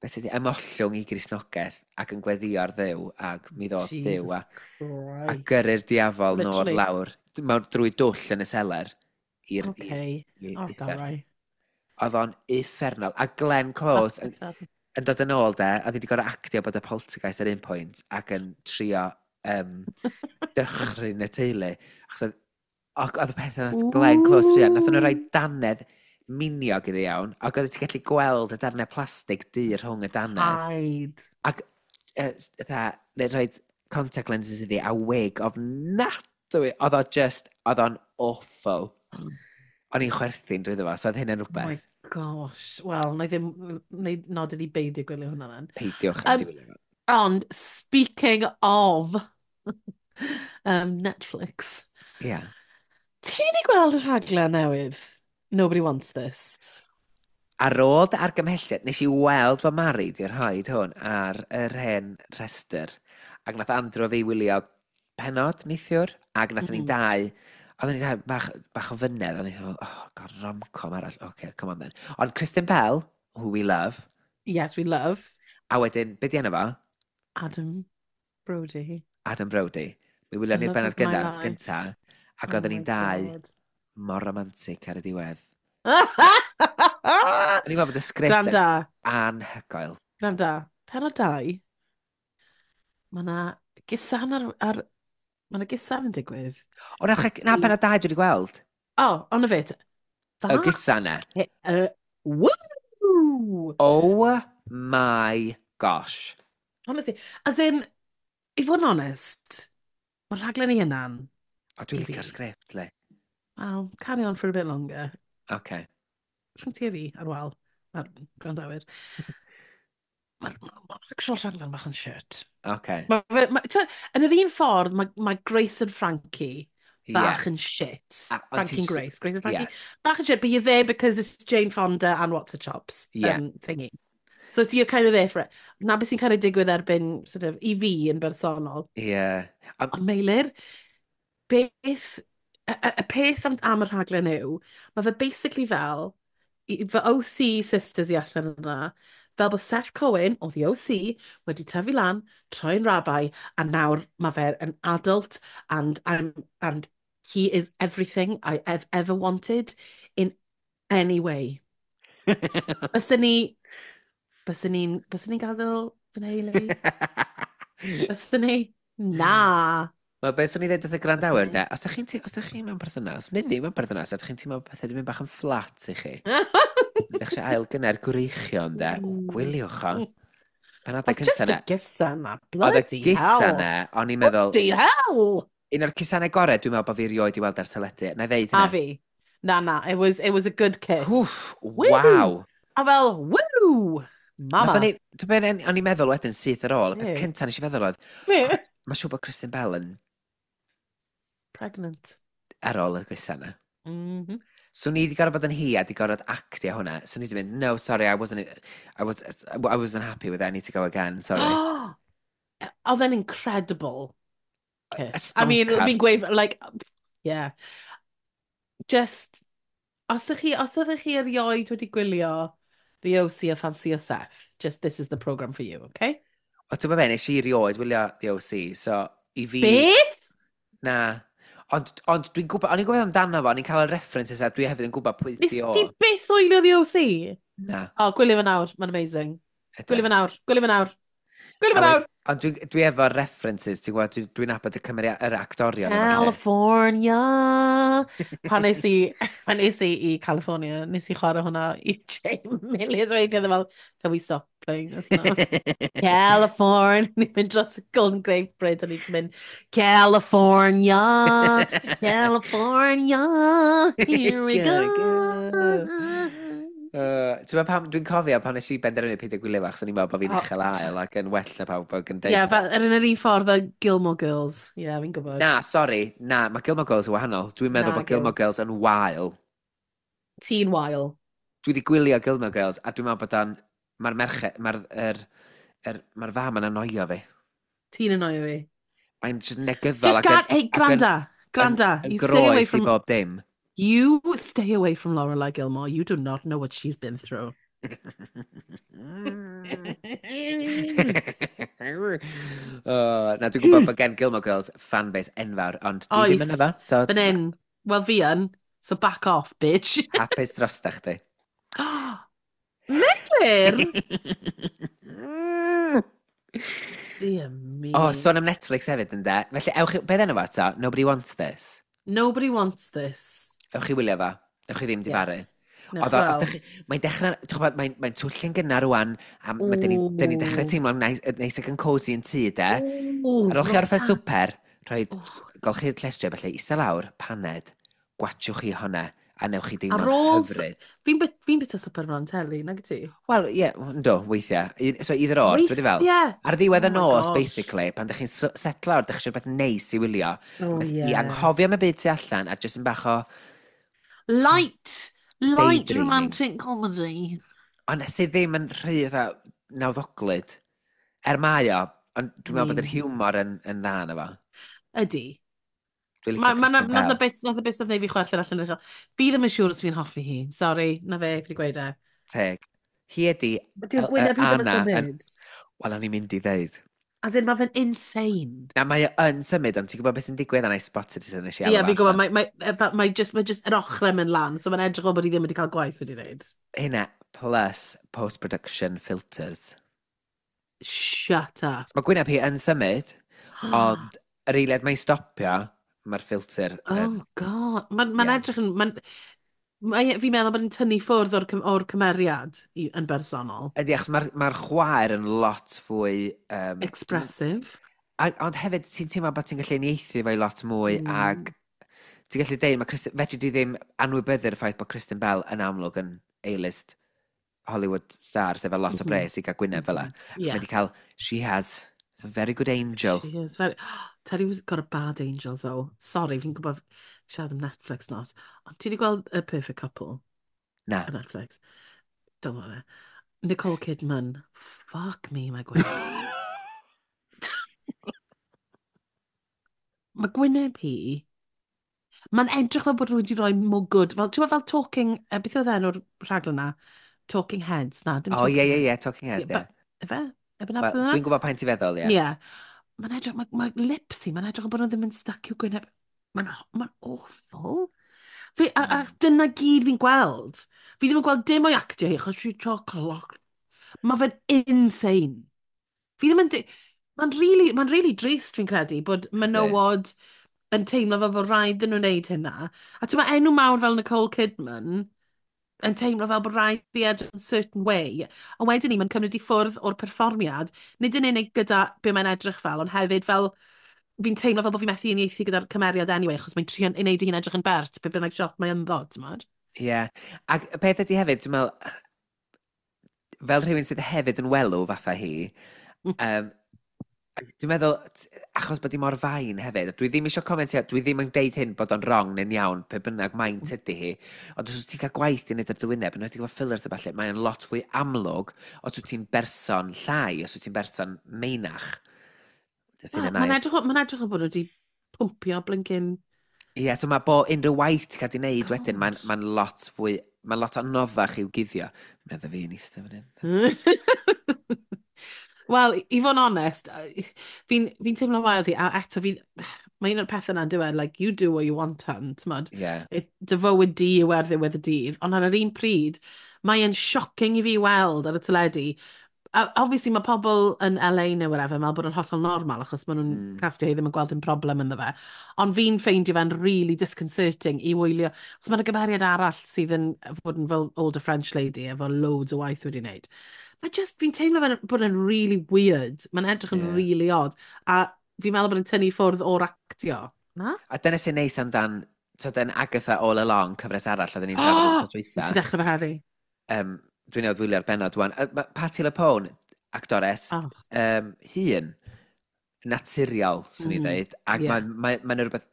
beth ydi, ymollwng i Gristnogaeth ac yn gweddio ar Dduw, ac mi ddoth Duw Jesus a Christ. gyrru'r diafol nôl Literally. lawr, mewn drwy dwll yn y seler i'r Okay. i'r Oh, uffern. right. Oedd o'n uffernol. A Glenn Close yn dod yn ôl de, a wedi gorau actio bod y poltergeist ar un pwynt ac yn trio dychryn y teulu. Achos oedd y peth nath Glenn Close trio, nath nhw rhoi dannedd miniog iddi iawn, ac oedd ti'n gallu gweld y darnau plastig du rhwng y dannedd. Hide. Ac fatha, neu rhoi contact lenses iddi a wig ofnadwy. Oedd o just, oedd o'n awful. O'n i'n chwerthin drwyddo fo, so oedd hynny'n Oh my rhywbeth. gosh. Wel, na i ddim, na i nodyn i beidio gwylio hwnna then. Peidiwch am diwylio fo. Ond, speaking of Netflix, Ie. ti wedi gweld y rhaglen newydd? Nobody Wants This. Ar ôl dy argymhelliad, nes i weld fod Mari di rhoi hwn ar yr hen rhestr. Ac nath Andrew a fi wylio penod neithiwr, ac nath ni dau, oedden ni dau bach o fynedd, o'n i'n meddwl, oh god, rom-com arall, okay, come on then. Ond Kristen Bell, who we love, Yes, we love. a wedyn, be di enw fo? Adam Brody. Adam Brody. Mi wylio ni'r Love benod of my life. gynta, ac Oh oedden my ni'n dau God. mor romantic ar y diwedd. O'n i'n meddwl bod y sgript yn Granda, anhygoel. granda. Penod 2, mae na gusan ar mae na gusan yn digwydd. O, na, na, penod 2 dwi wedi gweld. Oh, ond y fit. Y gusan na. Woo! Oh my gosh. Honestly, as in, i fod yn honest, mae'r rhaglen i hunan, O, dwi'n I fi. licio'r sgript, le. well, carry on for a bit longer. Okay. Rhwng ti a fi, ar wal, a'r gwrandawyr. Mae'r ma actual rhaglen bach yn shit. Okay. Ma, yn yr un ffordd, mae Grace and Frankie bach yn shit. A- ond Frankie ti and Grace, Grace and Frankie. Bach yn shit, but you're there because it's Jane Fonda and What's Her Chops thingy. So you're kind of there for it. Na beth sy'n kind of digwydd erbyn, sort of, i fi yn bersonol. Yeah. Ond Meilir, beth, y peth am y rhaglen yw, mae fe basically fel, fy OC sisters i allan yna, fel bod Seth Cohen o The OC wedi tyfu lan, troi'n rabbi, a nawr mae fe yn adult, and he is everything I have ever wanted in any way. Byswn ni'n gadael fy nheulu? Byswn ni? Na. Wel, beth swn i ddweud wrth y gwrandawyr, Byswn de, os da chi mewn perthynas, neu ddim mewn perthynas, os da chi'n teimlo pethau wedi mynd bach yn fflat i chi, ydych chi ail gynna'r gwreichion, de, o, gwyliwch o. Penodau Oedd just cyntaf y na. gysa na, Oedd y bloody gysa hell. na, o'n i'n meddwl, Bloody hell! un o'r cusanau gorau dwi'n meddwl bod fi erioed i weld ar teledu. Na i ddeud A hynna. fi. Na, na, it was a good kiss. Wff, Woo! waw. A fel, woo! Mama. Nathon ni, ti'n be, o'n i'n meddwl wedyn syth ar ôl, y peth Ie. cyntaf nes i feddwl oedd, Be? mae'n siŵr bod Kristen Bell yn Pregnant. Ar ôl y gysa yna. So ni wedi gorfod bod yn hi a wedi gorfod actio hwnna. So ni wedi mynd, "No, sorry, I wasn't, I wasn't happy with it, I need to go again, sorry." Oedd e'n incredible A kiss. I mean, stoncar. fi'n gweud, like, yeah. Just, os ydych chi erioed wedi gwylio The OC a ffansio Seth, just this is the programme for you, okay? O, ti'n gwybod be, nes i rioed wylio The OC, so i fi. Beth? Na. Ond dwi'n gwybod, o'n i'n gwybod amdano fo, o'n i'n cael y references a dwi hefyd yn gwybod pwy Nes di o. ti byth wylio The OC? Na. O, gwylio fe nawr, mae'n amazing. Ydw. Gwylio fe nawr, gwylio fe nawr. Gwylio A fe nawr! Ond dwi efo'r references, ti'n gwybod, dwi nabod y cymeriad, yr actorion a ballu. California! Pan nes i i California, nes i chwarae hwnna i Jay millions o weithiau, fel, "Can we stop playing this now?" California! Ni'n mynd dros y Golden Gate Bridge, a ni'n mynd, "California! California! Here we go!" Go. Ti'n meddwl pam, dwi'n cofio pan nes i benderfynu peidio gwylio fo, achos o'n i'n meddwl bod fi'n O. uchel ael ac yn well na pawb ac yn deud. Ie, fel, yr un yr un ffordd fel Gilmore Girls. Ie, yeah, fi'n gwybod. Na, sori, na, mae Gilmore Girls yn wahanol. Dwi'n meddwl Na, bod Gilmore Girls yn wael. Ti'n wael. Dwi wedi gwylio Gilmore Girls a dwi'n meddwl bod o'n. Mae'r merched, mae'r er, er, mae'r fam yn annoio fi. Ti'n annoio fi. Mae'n just negyddol Just ac yn, gan... Hey, ac yn, granda. Granda. yn You stay away groes i from... bob dim. You stay away from Lorelai Gilmore. You do not know what she's been through. Oh, na, dwi'n gwybod bod gen Gilmore Girls fanbase enfawr, ond dwi ddim yn Oes. efo, so Fan hyn. Wel, fi yn. So back off, bitch. Hapus drosta chdi. Meilir! Dear me. O, oh, sôn am Netflix hefyd yn de. Felly, ewch i. Beth enw fo eto? Nobody Wants This. Nobody Wants This. Ewch i wylio fo. Ewch chi ddim difaru. Yes. Newch Oedd o, os weld. dach chi, mae'n dechrau, ti'n gwybod, mae'n twllyn gynnar rwan, a ma, dyn ni dechrau Ooh. teimlo'n neis, neis ac yn cozy yn tŷ, de. Ooh, Ar ôl chi not orffen that. swper, rhoi Ooh. golchi'r llestri, felly eistedd lawr, paned, gwatiwch chi hwnna, a newch chi Ar deimlo'n ôl hyfryd. Fi'n bita swper mlaen teli, nag y ti? Wel, ie, yeah, ynddo, weithiau. So either or, ti'n fel? Weithiau. Ar ddiwedd y Oh my nos, gosh. basically, pan dych chi'n setlo ar, dych chi eisiau rhywbeth neis i wylio, Oh, rhywbeth i yeah. anghofio am y byd tu allan, a jyst yn bach o. Light, light Daydreaming. romantic comedy. Ond sydd ddim yn rhy fatha nawddoglyd. Er mae o, ond dwi'n meddwl bod yr Mean. hiwmor yn dda yna fo. Ydy. Dwi'n licio Ma, Kristen nath y Bell. bit, nath y bit nath neud fi chwerthin allan o'r Fi ddim yn siŵr os fi'n hoffi hi. Sorry, na fe, fi wedi gweud e. Teg. Hi ydi Dyw'r gwyneb hi ddim yn Anna yn symud. Wel, o'n i'n mynd i ddeud. As in, mae fe'n insane. Na, mae o yn symud, ond ti'n gwybod beth sy'n digwydd? A na i spotted it nes i Ie, alw yeah, fo fi'n gwybod, allan. mae just yr ochrau mynd lan, so mae'n edrych fel bod hi ddim wedi cael gwaith wedi dweud. Hynna, plus post-production filters. Shut up. Mae gwyneb hi yn symud, ond yr eiliad mae'n stopio, mae'r ffilter yn. Oh, God. Mae'n ma edrych yn. Fi'n meddwl bod yn tynnu ffwrdd o'r cymeriad yn bersonol. Ydy, achos mae'r ma chwaer yn lot fwy Expressive. A, ond hefyd, ti'n teimlo bod ti'n gallu uniaethu fo i lot mwy ag ti'n gallu deud, mae Kristen, fedri di ddim anwybyddu'r ffaith bod Kristen Bell yn amlwg yn A-list Hollywood star, sef lot o bres i gael gwyneb fel 'a. Achos mae wedi cael, she has a very good angel. She is very. Tell you who's got a bad angel, though. Sorry, fi'n gwybod siarad am Netflix not. Ond ti wedi gweld A Perfect Couple Na. ar Netflix? Don't bother. Nicole Kidman. Fuck me, mae gwyneb. Mae gwyneb hi. Mae'n edrych fel bod rhywun wedi rhoi mwgwd. Fel, ti'n gwbod fel Talking. Beth oedd enw'r rhaglen na? Talking Heads. Na, dim O, Talking ie, Heads. Talking Heads, ie. Ife? Efe na Wel, beth oedd dwi'n gwybod pa'n ti feddwl, ie. Ie. Mae'n edrych, mae lips hi, mae'n edrych fel bod nhw ddim yn stuck i'w gwyneb. Mae'n ma awful. Fi, a dyna gyd fi'n gweld. Fi ddim yn gweld dim o'i actio hi, achos she's clock. Mae fe'n insane. Fi ddim yn. Mae'n really, ma really drist fi'n credu bod menywod yn teimlo fel bod rhaid iddyn nhw wneud hynna. A ti'n meddwl enw mawr fel Nicole Kidman yn teimlo fel bod rhaid i edrych yn certain way. A wedyn ni, mae'n cymryd i ffwrdd o'r perfformiad, nid yn unig gyda be mae'n edrych fel, ond hefyd fel fi'n teimlo fel bod fi'n methu uniaethu gyda'r cymeriad anyway, achos mae'n trio ei wneud ei hun edrych yn bert, be bynnag shot mae ynddo, ti'n modd? Ie. Ac y peth ydy hefyd, dwi'n meddwl, fel rhywun sydd hefyd yn welw fatha hi, Dwi'n meddwl, achos bod hi mor fain hefyd, dwi ddim eisiau comentio, dwi ddim yn deud hyn bod o'n wrong neu'n iawn, pe bynnag maint ydy hi, ond os wyt ti'n cael gwaith i wneud ar dy wyneb, yn enwedig efo fillers a ballu, mae'n lot fwy amlwg os wyt ti'n berson llai, os wyt ti'n berson meinach. Just un Mae'n yn air. edrych o bod nhw wedi pwmpio blinking. Ie, yeah, so mae bo unrhyw waith ti'n cael di wneud wedyn, mae'n God. ma lot fwy, mae'n lot anoddach i'w guddio. Medda fi yn eistedd fan hyn. Wel, i fod yn onest, fi'n fi teimlo wael ddi, a eto fi, mae un o'r pethau yna'n dweud, like, you do what you want, hun, t'mod? Ie. Yeah. Dy fywyd di yw ar ddiwedd y dydd, ond ar yr un pryd, mae'n shocking i fi weld ar y teledu. A obviously mae pobl yn LA neu whatever, meddwl bod yn hollol normal, achos maen nhw'n castio hi ddim yn gweld dim problem ynddo fe. Ond fi'n ffeindio fe'n really disconcerting i wylio, achos mae'n gymeriad arall sydd yn fod yn fel older French lady efo loads o waith wedi wneud. Mae just, fi'n teimlo fe'n bod yn really weird. Mae'n edrych yn really odd. A fi'n meddwl bod yn tynnu ffwrdd o'r actio. Na? A dyna sy'n neis amdan, so dyn Agatha All Along, cyfres arall, oedden ni'n drafod yn wythnos Nes dwytha. i ddechrau fe heddi. Dwi'n newydd wylio'r bennod wan. Patti LuPone, actores, hun, naturiol, swn i ddeud. Ac mae'n ma, ma rhywbeth,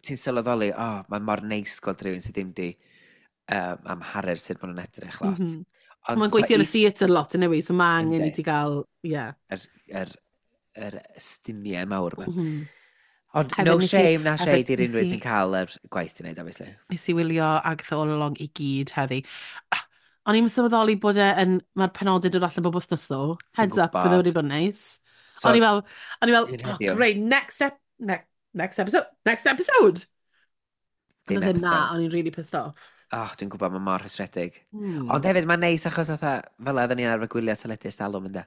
ti'n sylweddoli, oh, mae'n mor neis gweld rhywun sydd ddim di amharu'r sut maen nhw'n edrych lot. Ond Mae'n gweithio yn y theatr lot yn yw, so mae angen i ti gael, ie. Yeah. Yr stumiau mawr yma. Ond Hefyd no nes i shame na hefyd shade i'r nes unrhyw i sy'n cael yr gwaith i wneud, obviously. Nes i wylio Agatha All Along i gyd heddi. Ah, o'n i'n sylweddoli bod e yn, mae'r penodau dod allan bob wythnos ddo. Dwi'n Heads up, bydde wedi gwybod. bod yn neis. So, O'n i fel, un oh, heddiw. great, next episode, next episode. Ddim Ond oedd ddim na, episode. o'n i'n really pissed off. Oh, dwi'n gwybod, mae mor rhwystredig. Ond hefyd, mae'n neis achos fatha, fel oedden ni'n arfer gwylio teledu ers talwm ynde.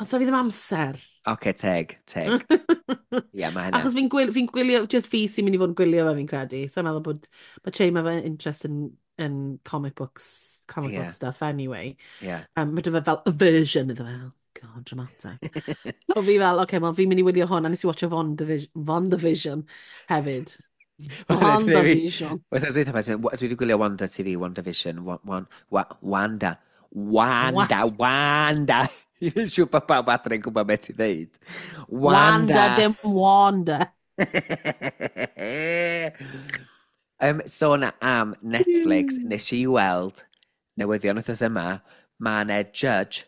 Ond so fi ddim amser. Oce, teg, teg. Ie, mae hynna. Achos fi gwylio, just fi sy'n mynd i fod yn gwylio fe fi'n credu. So i'n meddwl bod, mae Che mae fe interest in comic books, comic book stuff anyway. Mae dy fe fel aversion iddo fe. Oh, God, dramatic. So fi fel, okay, well, fi'n mynd i wylio hwn, a nes i watcho WandaVision hefyd. WandaVision. Wythnos dwytha, dwi wedi gwylio Wanda TV, WandaVision, Wanda, Wanda, Wanda. I'n siŵr bod pawb adre yn gwybod beth i ddeud. Wanda, Wanda. dim Wanda. Sôn am Netflix, nes i weld newyddion wythnos yma, mae yna judge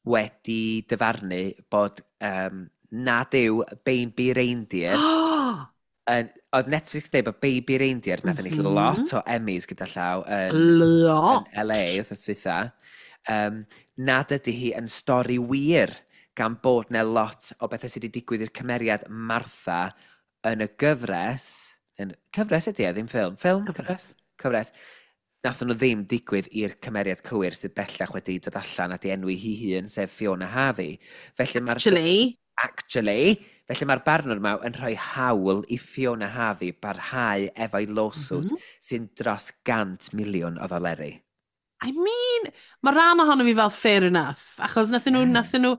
wedi dyfarnu bod nad yw Baby Reindeer yn, oedd Netflix yn dweud bod Baby Reindeer nath ennill lot o Emmys gyda llaw yn Lot. LA wythnos dwytha, nad ydy hi yn stori wir gan bod 'na lot o bethau sydd wedi digwydd i'r cymeriad Martha yn y gyfres, yn, cyfres ydy e, ddim ffilm, ffilm, cyfres, cyfres, nath nhw ddim digwydd i'r cymeriad cywir sydd bellach wedi dod allan a di enwi hi hun, sef Fiona Harvey. Felly mae'r Actually, Actually, felly mae'r barnwr yma yn rhoi hawl i Fiona Harvey barhau efo'i lawsuit sy'n dros 100 miliwn o ddoleri. I mean, mae rhan ohono fi fel fair enough, achos nathyn nhw, nathyn nhw,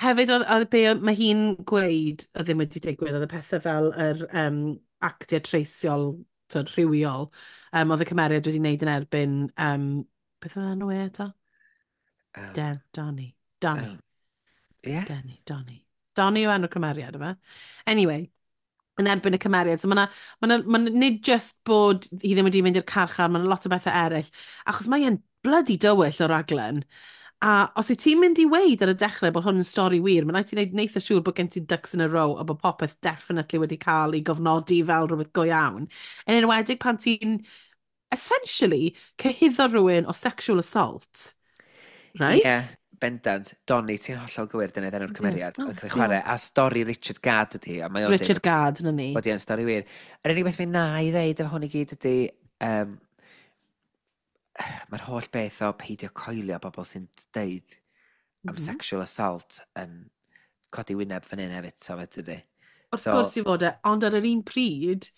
hefyd oedd be mae hi'n gweud oedd ddim wedi digwydd, oedd y pethau fel yr actiau treisiol, tyd, rhywiol, oedd y cymeriad wedi wneud yn erbyn, beth oedd enw e eto? Donny. Donny. Yeah. Danny, Donny. Donny yw enw'r cymeriad yma. Anyway, yn erbyn y cymeriad. So mae ma nid just bod hi ddim wedi mynd i'r carchar, mae lot o bethau eraill. Achos mae e'n bloody dywyll o raglen. A os wyt ti'n mynd i weid ar y dechrau bod hwn yn stori wir, mae'n rhaid ti wneud neitha siŵr bod gen ti ducks in a row a bod popeth definitely wedi cael ei gofnodi fel rhywbeth go iawn. Yn enwedig pan ti'n essentially cyhuddo rhywun o sexual assault. Right? Ie, bendant. Donny, ti'n hollol gywir, dyna enw'r cymeriad. Oh, Yn cael ei chwarae. A stori Richard Gadd ydi, a mae o'n deud Richard Gadd, na ni. bod hi'n stori wir. Yr unig beth mi na i ddeud efo hwn i gyd ydi, mae'r holl beth o peidio coelio bobl sy'n deud am sexual assault yn codi wyneb fan hyn hefyd, so fe dydy. Wrth So gwrs i fod e, ond ar yr un pryd,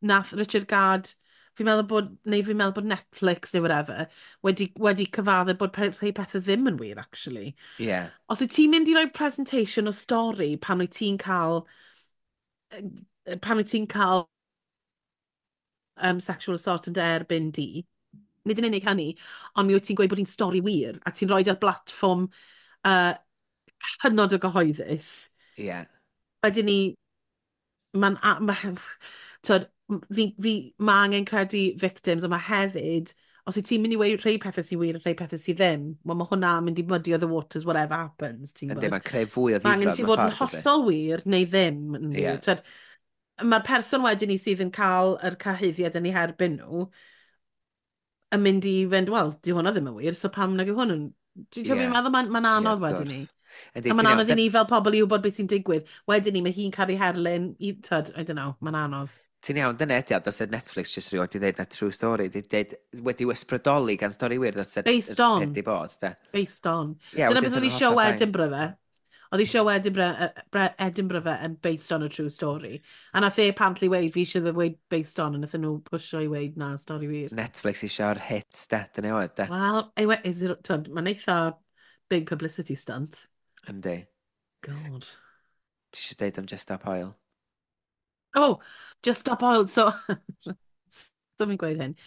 nath Richard Gadd, fi'n meddwl bod, neu fi'n meddwl bod Netflix neu whatever, wedi cyfadde bod rhai pethau ddim yn wir, actually. Os wyt ti'n mynd i roi presentation o stori pan wyt ti'n cael sexual assault yn dy erbyn di, nid yn unig hynny, ond mi wyt ti'n gweud bod hi'n stori wir, a ti'n rhoi ar blatfform hynod o gyhoeddus. Ie. Yeah. Wedyn ni, mae'n... Ma, twyd, mae angen credu victims, a mae hefyd, os wyt ti'n mynd i weud rhai pethau sy'n wir a rhai pethau sydd ddim, wel mae hwnna'n mynd i muddy the waters, whatever happens, ti'n gwybod? Yndi, mae'n creu fwy o ddifrod. Mae angen ti fod yn hollol wir neu ddim. Yeah. Twyd, mae'r person wedyn ni sydd yn cael yr cyhuddiad yn ei herbyn nhw, yn mynd i fynd, wel, di hwnna ddim yn wir, so pam nag yw hwn yn... Ti'n yeah. meddwl, mae'n ma anodd yeah, wedyn ni. A mae'n anodd i ni fel pobl i wybod beth sy'n digwydd. Wedyn ni, mae hi'n cael ei herlyn, i, tyd, I don't know, mae'n anodd. Ti'n iawn, dyna ydi o, does Netflix just rioed di ddeud na true story, di dweud, wedi ysbrydoli gan stori wir, does Based on. Di bod, de. Based on. Yeah, dyna beth oedd i show Edinburgh fe. Oedd i show Edinburgh, Edinburgh fe yn based on a true story. A nath e apparently weid, fi eisiau weid based on, a nath nhw pwysio i weid na, stori wir. Netflix eisiau'r hits, de, dyna oedd, de. Wel, is it, mae'n eitha big publicity stunt. Yndi. God. Ti eisiau deud am Just Stop Oil? Oh, Just Stop Oil. So, so fi'n gweud hyn.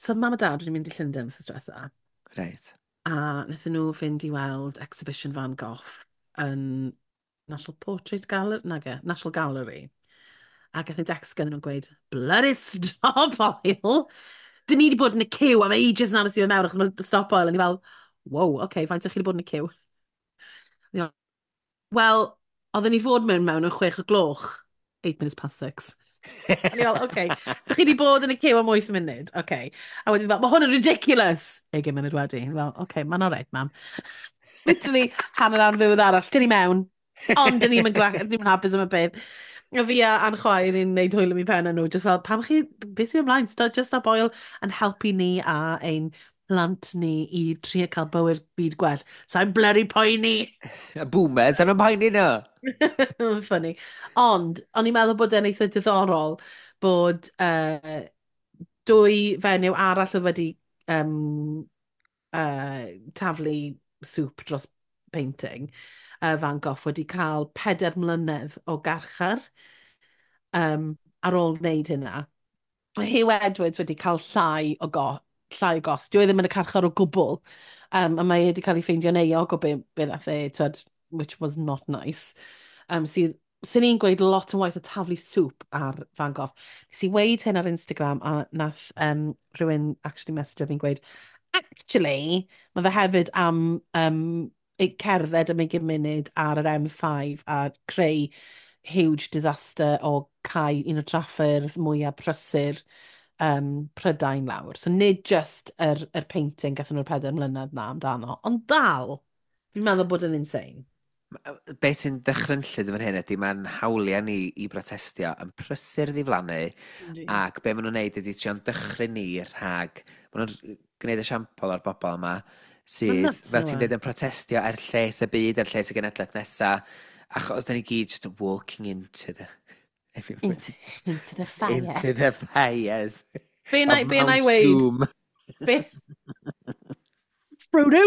So, mam a dad wedi mynd i Llundain wythnos diwetha. Right. A wnaethon nhw fynd i weld exhibition Van Gogh yn National Portrait Gallery, nage, National Gallery. A gath ei decs gen nhw'n gweud, bloody stop oil! Dyn ni wedi bod yn y queue am ages yn aros i fe mewn achos mae stop oil. A ni fel, wow, okay, faint o'ch chi wedi bod yn y queue? Wel, oedden ni fod mewn yn 6 o gloch. 6:08. A ni fel, okay. So chi wedi bod yn y queue am 8 munud, okay. A wedyn fel, mae hwn yn ridiculous! 20 munud wedi. Fel, okay, mae'n alright, mam. Literally, hanner awr ddiwedd arall, dyn ni mewn. Ond dyn ni'n ddim yn hapus am y peth. A fi a a'n chwaer i'n neud hwyl am ei pen nhw, just fel, pam chi, beth sy'n ymlaen, stop, Just Stop Oil yn helpu ni a ein plant ni i trio cael bywyd byd gwell. Sa'n bloody poeni! Y boomers, a'n poeni nhw! Funny. Ond, o'n i'n meddwl bod e'n eitha diddorol bod dwy fenyw arall oedd wedi taflu sŵp dros painting, Van Gogh wedi cael 4 mlynedd o garchar ar ôl wneud hynna. Mae Huw Edwards wedi cael llai o gost. Dyw e ddim yn y carchar o gwbl. A mae e wedi cael ei ffeindio'n euog o be nath e, twed, which was not nice. Sydd, sy'n ni'n gweud lot yn waith o taflu sŵp ar Van Gogh. Nes i weid hyn ar Instagram a nath rhywun actually message fi'n gweud, actually, mae fe hefyd am cerdded am 20 munud ar yr M5 a creu huge disaster o cau un o traffyrdd mwyaf prysur Prydain lawr. So nid just yr painting gathon nhw'r 4 mlynedd na amdano, ond dal, fi'n meddwl bod yn insane. Be sy'n ddychrynllyd yn fan hyn ydy mae'n hawliau ni i brotestio yn prysur ddiflannu ac be maen nhw'n neud ydy trio'n dychryn ni rhag, maen nhw'n gwneud esiampl o'r bobl yma sydd, nuts, fel ti'n yw e? dweud, yn protestio er lles y byd, er lles y genedlaeth nesaf, achos da ni gyd just walking Into the fire. Into the fires Be na, of be na i Mount weid? Doom. Be... Frodo!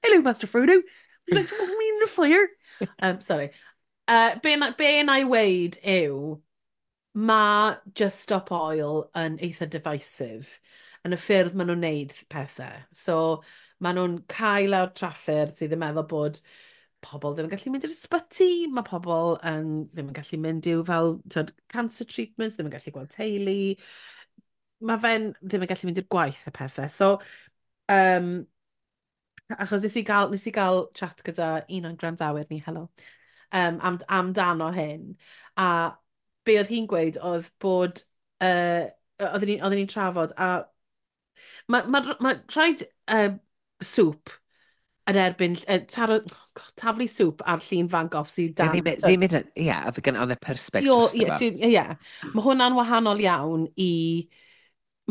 Hello, Master Frodo! Would you like to walk me in the fire? Sorry. Be na i weid yw, mae Just Stop Oil yn eitha divisive yn y ffyrdd maen nhw'n neud pethau. So, maen nhw'n cael lawr traffyrdd sydd yn meddwl bod pobl ddim yn gallu mynd i'r ysbyty, mae pobl yn, ddim yn gallu mynd i'w fel twyd, cancer treatments, ddim yn gallu gweld teulu. Mae fe'n ddim yn gallu mynd i'r gwaith a pethau. So, achos nes i gael chat gyda un o'n gwrandawyr ni, helo, amdano hyn. A be oedd hi'n gweud oedd bod, oedden ni'n trafod, a ma rhaid sŵp yn erbyn, taro, oh God, taflu sŵp ar llun Van Gogh sydd Ie, dan... ddim hyd yn ie, oedd gen oedd y perspex drosto Ie, fo. Ie. Mae hwnna'n wahanol iawn i...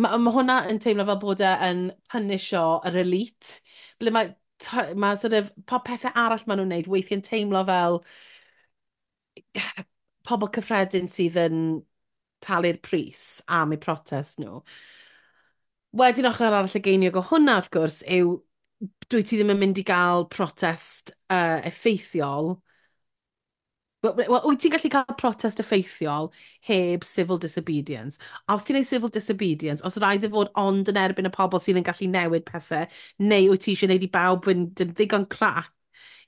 Mae hwnna yn teimlo fel bod e yn punisho yr elite. Ble mae sort of, pob pethau arall maen nhw'n wneud weithiau'n teimlo fel pobl cyffredin sydd yn talu'r pris am eu protest nhw. Wedyn ochr arall y geiniog o hwnna, wrth gwrs, yw dwi ti ddim yn mynd i gael protest effeithiol. Wel, wyt ti'n gallu cael protest effeithiol heb civil disobedience? A os ti'n neud civil disobedience, os rhaid i fod ond yn erbyn y pobl sydd yn gallu newid pethau, neu wyt ti eisiau neud i bawb fynd yn ddigon crac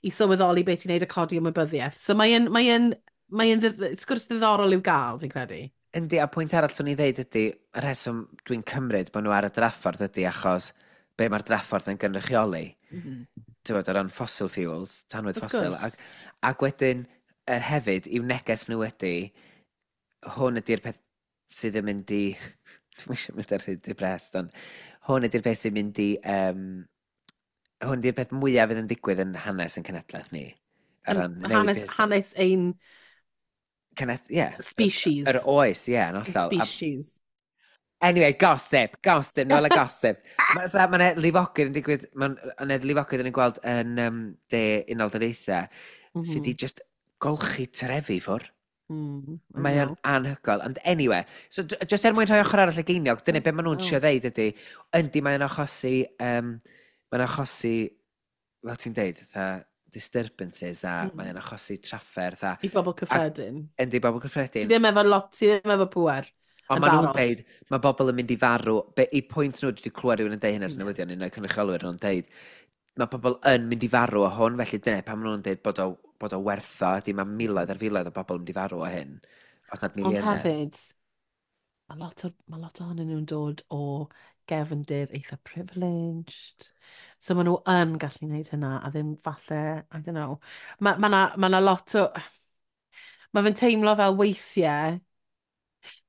i sylweddoli beth ti'n neud a codi ymwybyddiaeth. So mae'n mae sgwrs ddiddorol i'w gael, fi'n credu. Yndi, a pwynt arall swn i ddeud ydy, y rheswm dwi'n cymryd bod nhw ar y draffordd ydy achos be mae'r draffordd yn gynrychioli. Ti'n bod, o ran fossil fuels, tanwydd ffosil. Ac wedyn, hefyd, i'w neges nhw ydy, hwn ydy'r peth sydd yn mynd i... Dwi'n eisiau mynd ar hyd depressed, ond hwn ydy'r peth sy'n mynd i... Hwn ydy'r peth mwyaf fydd yn digwydd yn hanes yn cenedlaeth ni. Hanes ein... Yeah, species. Yr oes, ie, yeah, yn hollol. Species. Anyway, gossip, gossip, nôl y gossip. Mae'n ma lifogydd yn digwydd, mae'n lifogydd yn gweld yn de Unol Daleithiau, sydd wedi just golchi trefi ffwr. Mae o'n anhygoel. And anyway, so just er mwyn rhoi ochr arall y geiniog, dyna be maen nhw'n trio ddeud ydy, yndi mae'n achosi, mae'n achosi, fel ti'n deud, fatha, disturbances a mae'n achosi trafferth a... I bobl cyffredin. Yndi, bobl cyffredin. Sydd ddim efo lot, sydd ddim efo pŵer. Ond maen nhw'n deud, mae bobl yn mynd i farw, be, i pwynt nhw, dwi wedi clywed rhywun yn deud hyn ar y newyddion, un o'r cynrychiolwyr nhw'n deud, mae pobl yn mynd i farw o hwn, felly dyna pam maen nhw'n deud bod o wertho, ydy mae miloedd ar filoedd o bobl yn mynd i farw o hyn. Os nad miliynau. Ond hefyd, mae lot ohonyn nhw'n dod o gefndir eitha privileged. So maen nhw yn gallu gwneud hynna, a ddim falle, I don't know. Mae ma lot o... Mae fe'n teimlo fel weithiau...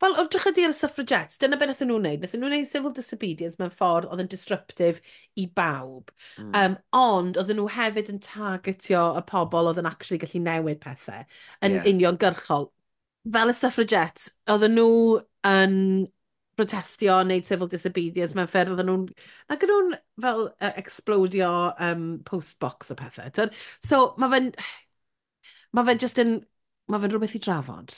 Fel, o drych ydi ar y suffragettes, dyna be nathon nhw'n wneud. Nathon nhw'n wneud civil disobedience mewn ffordd oedd yn disruptive i bawb. Ond oedden nhw hefyd yn targetio y pobl oedd yn actually gallu newid pethau yn uniongyrchol. Fel y suffragettes, oedden nhw yn protestio, wneud civil disobedience mewn ffyrdd, oedden nhw'n... Ac oedden nhw'n fel explodio postbox a pethau. So, mae fe'n just yn... Mae fe'n rhywbeth i drafod.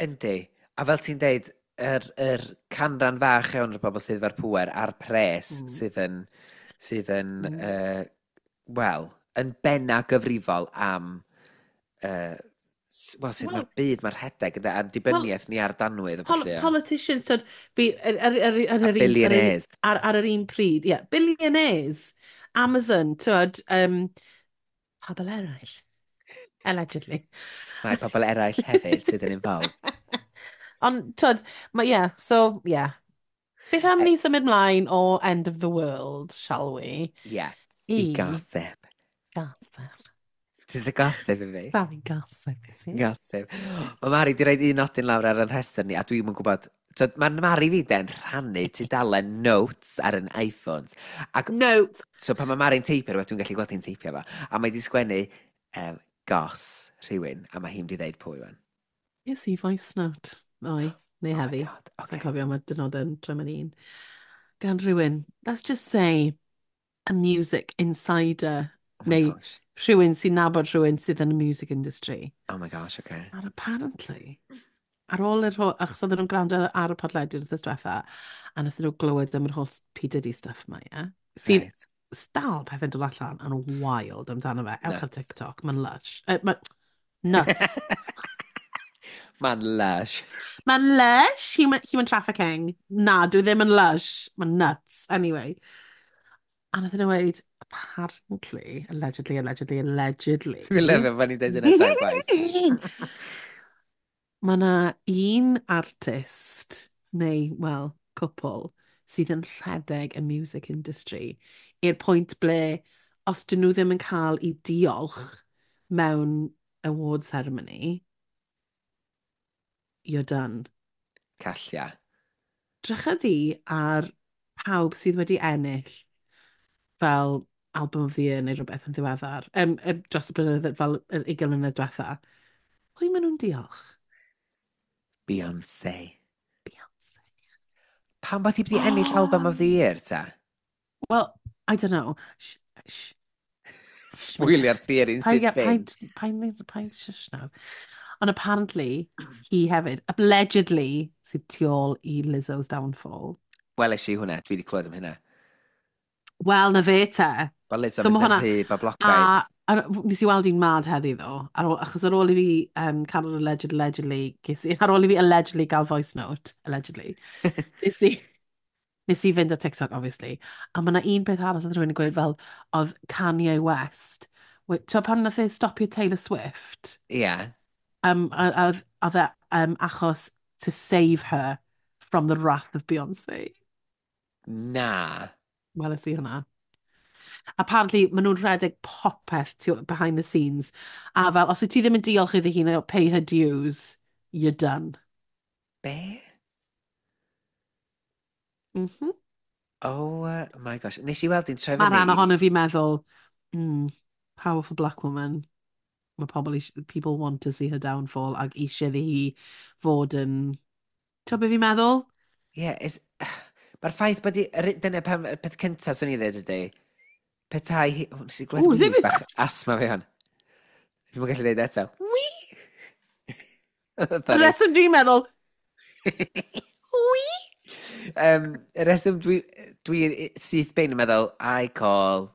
Yndi. A fel ti'n deud, yr canran fach iawn o'r bobl sydd efo'r pŵer a'r pres sydd yn wel, yn benna gyfrifol am, wel, sut mae'r byd, mae'r rhedeg, a dibyniaeth ni ar danwydd. Politicians, twyd, billionaires. Ar yr un pryd, ie, yeah, billionaires, Amazon, twyd, pobl eraill, allegedly. Mae pobl eraill hefyd sydd yn involved. Ond, twyd, yeah, so, yeah. Beth am ni symud mlaen o End of the World, shall we? Yeah, i gossip. Gossip. Ti'n y gossip i fi? Sorry, gossip i ti. Gossip. Mae Mari di roed un nodyn lawr ar yr rhestr ni, a dwi'n yn gwybod... So, mae Mari fi de'n rhannu tudalen notes ar yn iPhones. Ac, notes! So, pan mae Mari'n teipio rhywbeth, dwi'n gallu gweld hi'n teipio fo. A mae di sgwennu goss rhywun, a mae hi'n di ddeud pwy wan. Yes, i voice note. Oi, neu heddi. Oh my God, okay. Sa'n cofio, mae dynodau'n troi mewn un. Gan rhywun, let's just say, a music insider. Oh my neu gosh. Rhywun sy'n nabod rhywun sydd yn y music industry. Oh my gosh, okay. And apparently, ar ôl yr holl, achos oedden nhw'n gwrando ar y podlediad wythnos diwetha, a nathon nhw glywed am yr holl P. Diddy stuff yma, ie? Sydd right. Dal pethau'n dod allan yn wild amdano fe. Ewch ar TikTok, mae'n lush. Nuts. Mae'n lush. Mae'n lush, human trafficking. Na, dwi ddim yn lush. Mae'n nuts. Anyway. A nath nhw weud, apparently, allegedly, allegedly, allegedly. Dwi'n lyfio pan ni'n deud yna tair gwaith. Mae yna un artist, neu, wel, cwpl, sydd yn rhedeg y music industry i'r pwynt ble, os dyn nhw ddim yn cael eu diolch mewn award ceremony, you're done. Callia. Drycha di ar pawb sydd wedi ennill fel Album of the Year neu rhywbeth yn ddiweddar, dros y blynyddoedd, fel yr 20 mlynedd diwetha. Pwy maen nhw'n diolch? Beyoncé. Beyoncé. Pam bod hi wedi ennill Album of the Year, ta? Well, I don't know. Sbwylio'r theory'n sydd ddim. Paid, shush now. Ond apparently, hi hefyd, allegedly, sydd tu ôl i Lizzo's downfall. Wel, eis i hwnna, dwi wedi clywed am hynna. Wel, na fe te. Wel, Lizzo mynd yn rhy boblogaidd. A nes i weld un mad heddi, ddo. Achos ar ôl i fi cael yr allegedly, ar ôl i fi allegedly gael voice note, allegedly, nes i fynd ar TikTok, obviously. A mae yna un peth arall oedd rhywun yn gweud fel, oedd Kanye West Ti'n pan nath e stopio Taylor Swift? Ie. Yeah. A oedd e achos to save her from the wrath of Beyoncé. Na. Weles i hwnna. Apparently, maen nhw'n rhedeg popeth behind the scenes. A fel, os wyt ti ddim yn diolch iddi hi neu pay her dues, you're done. Be? Mm. Oh my gosh. Nes i weld hi'n troi Mae fyny. Rhan ohono fi meddwl, powerful black woman. Mae pobl eisiau, people want to see her downfall ac eisiau iddi hi fod yn. Ti'n beth fi'n meddwl? Ie, yeah, is. Mae'r ffaith bod i. Dyna pam, y peth cyntaf swn i ddweud ydy, petai hi. O, nes i glywed Ww, wheeze ddim- bach asthma fi hon. Dwi'm yn gallu dweud eto. Wee! Y reswm dwi'n meddwl, Wee! Y reswm dwi syth bin yn meddwl, I call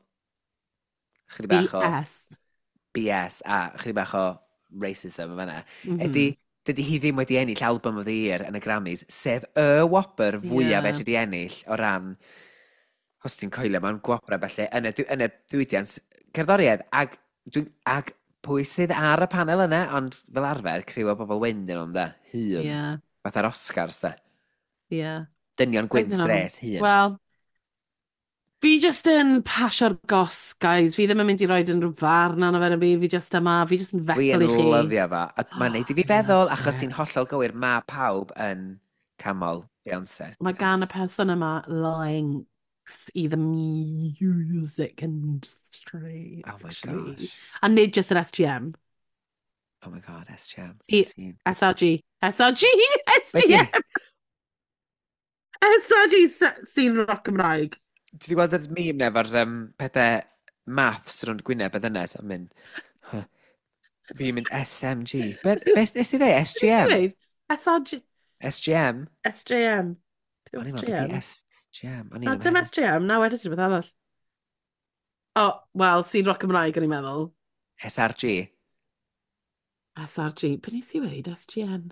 chydig bach o BS. BS a chydig bach o racism yn fanna, ydy, dydy hi ddim wedi ennill Album of the Year yn y Grammys, sef y wobr fwyaf fedri di ennill o ran, os ti'n coelio mewn gwobrau felly, yn y diwydiant cerddoriaeth. Ag pwy sydd ar y panel yna, ond fel arfer, criw o bobl wyn dyn nhw'n da, hŷn, fatha'r Oscars da. Dynion gwyn I dunno. stres, hŷn. Wel, fi just yn pasio'r goss, guys. Fi ddim yn mynd i roed unrhyw farn arno fe yn y byd. Fi just yma, fi just yn Dwi vessel yn i chi. lyfio fo. A mae'n neud i fi I feddwl, loved achos it. ti'n hollol gywir, mae pawb yn canmol Beyoncé. Mae gan y person yma links i the music industry, Oh my actually. gosh. A nid just yr SGM. Oh my God, SGM. See, Scene. SRG. SRG! Be di? SGM! SRG sy'n rock Cymraeg. Ti wedi gweld y meme na efo'r pethau maths rownd gwyneb y ddynes yn mynd, "Huh." Fi'n mynd SMG. Be nes i ddeud? SGM? Dweud? SRG. SGM? SJM. O'n i'n meddwl beth SGM. i SGM. O'n i'n Na, dim meddwl. SGM, na wedys i rhywbeth arall. O, oh, wel, sy'n rock Cymraeg, o'n i'n meddwl. SRG. SRG. Be nes i weud? SGN.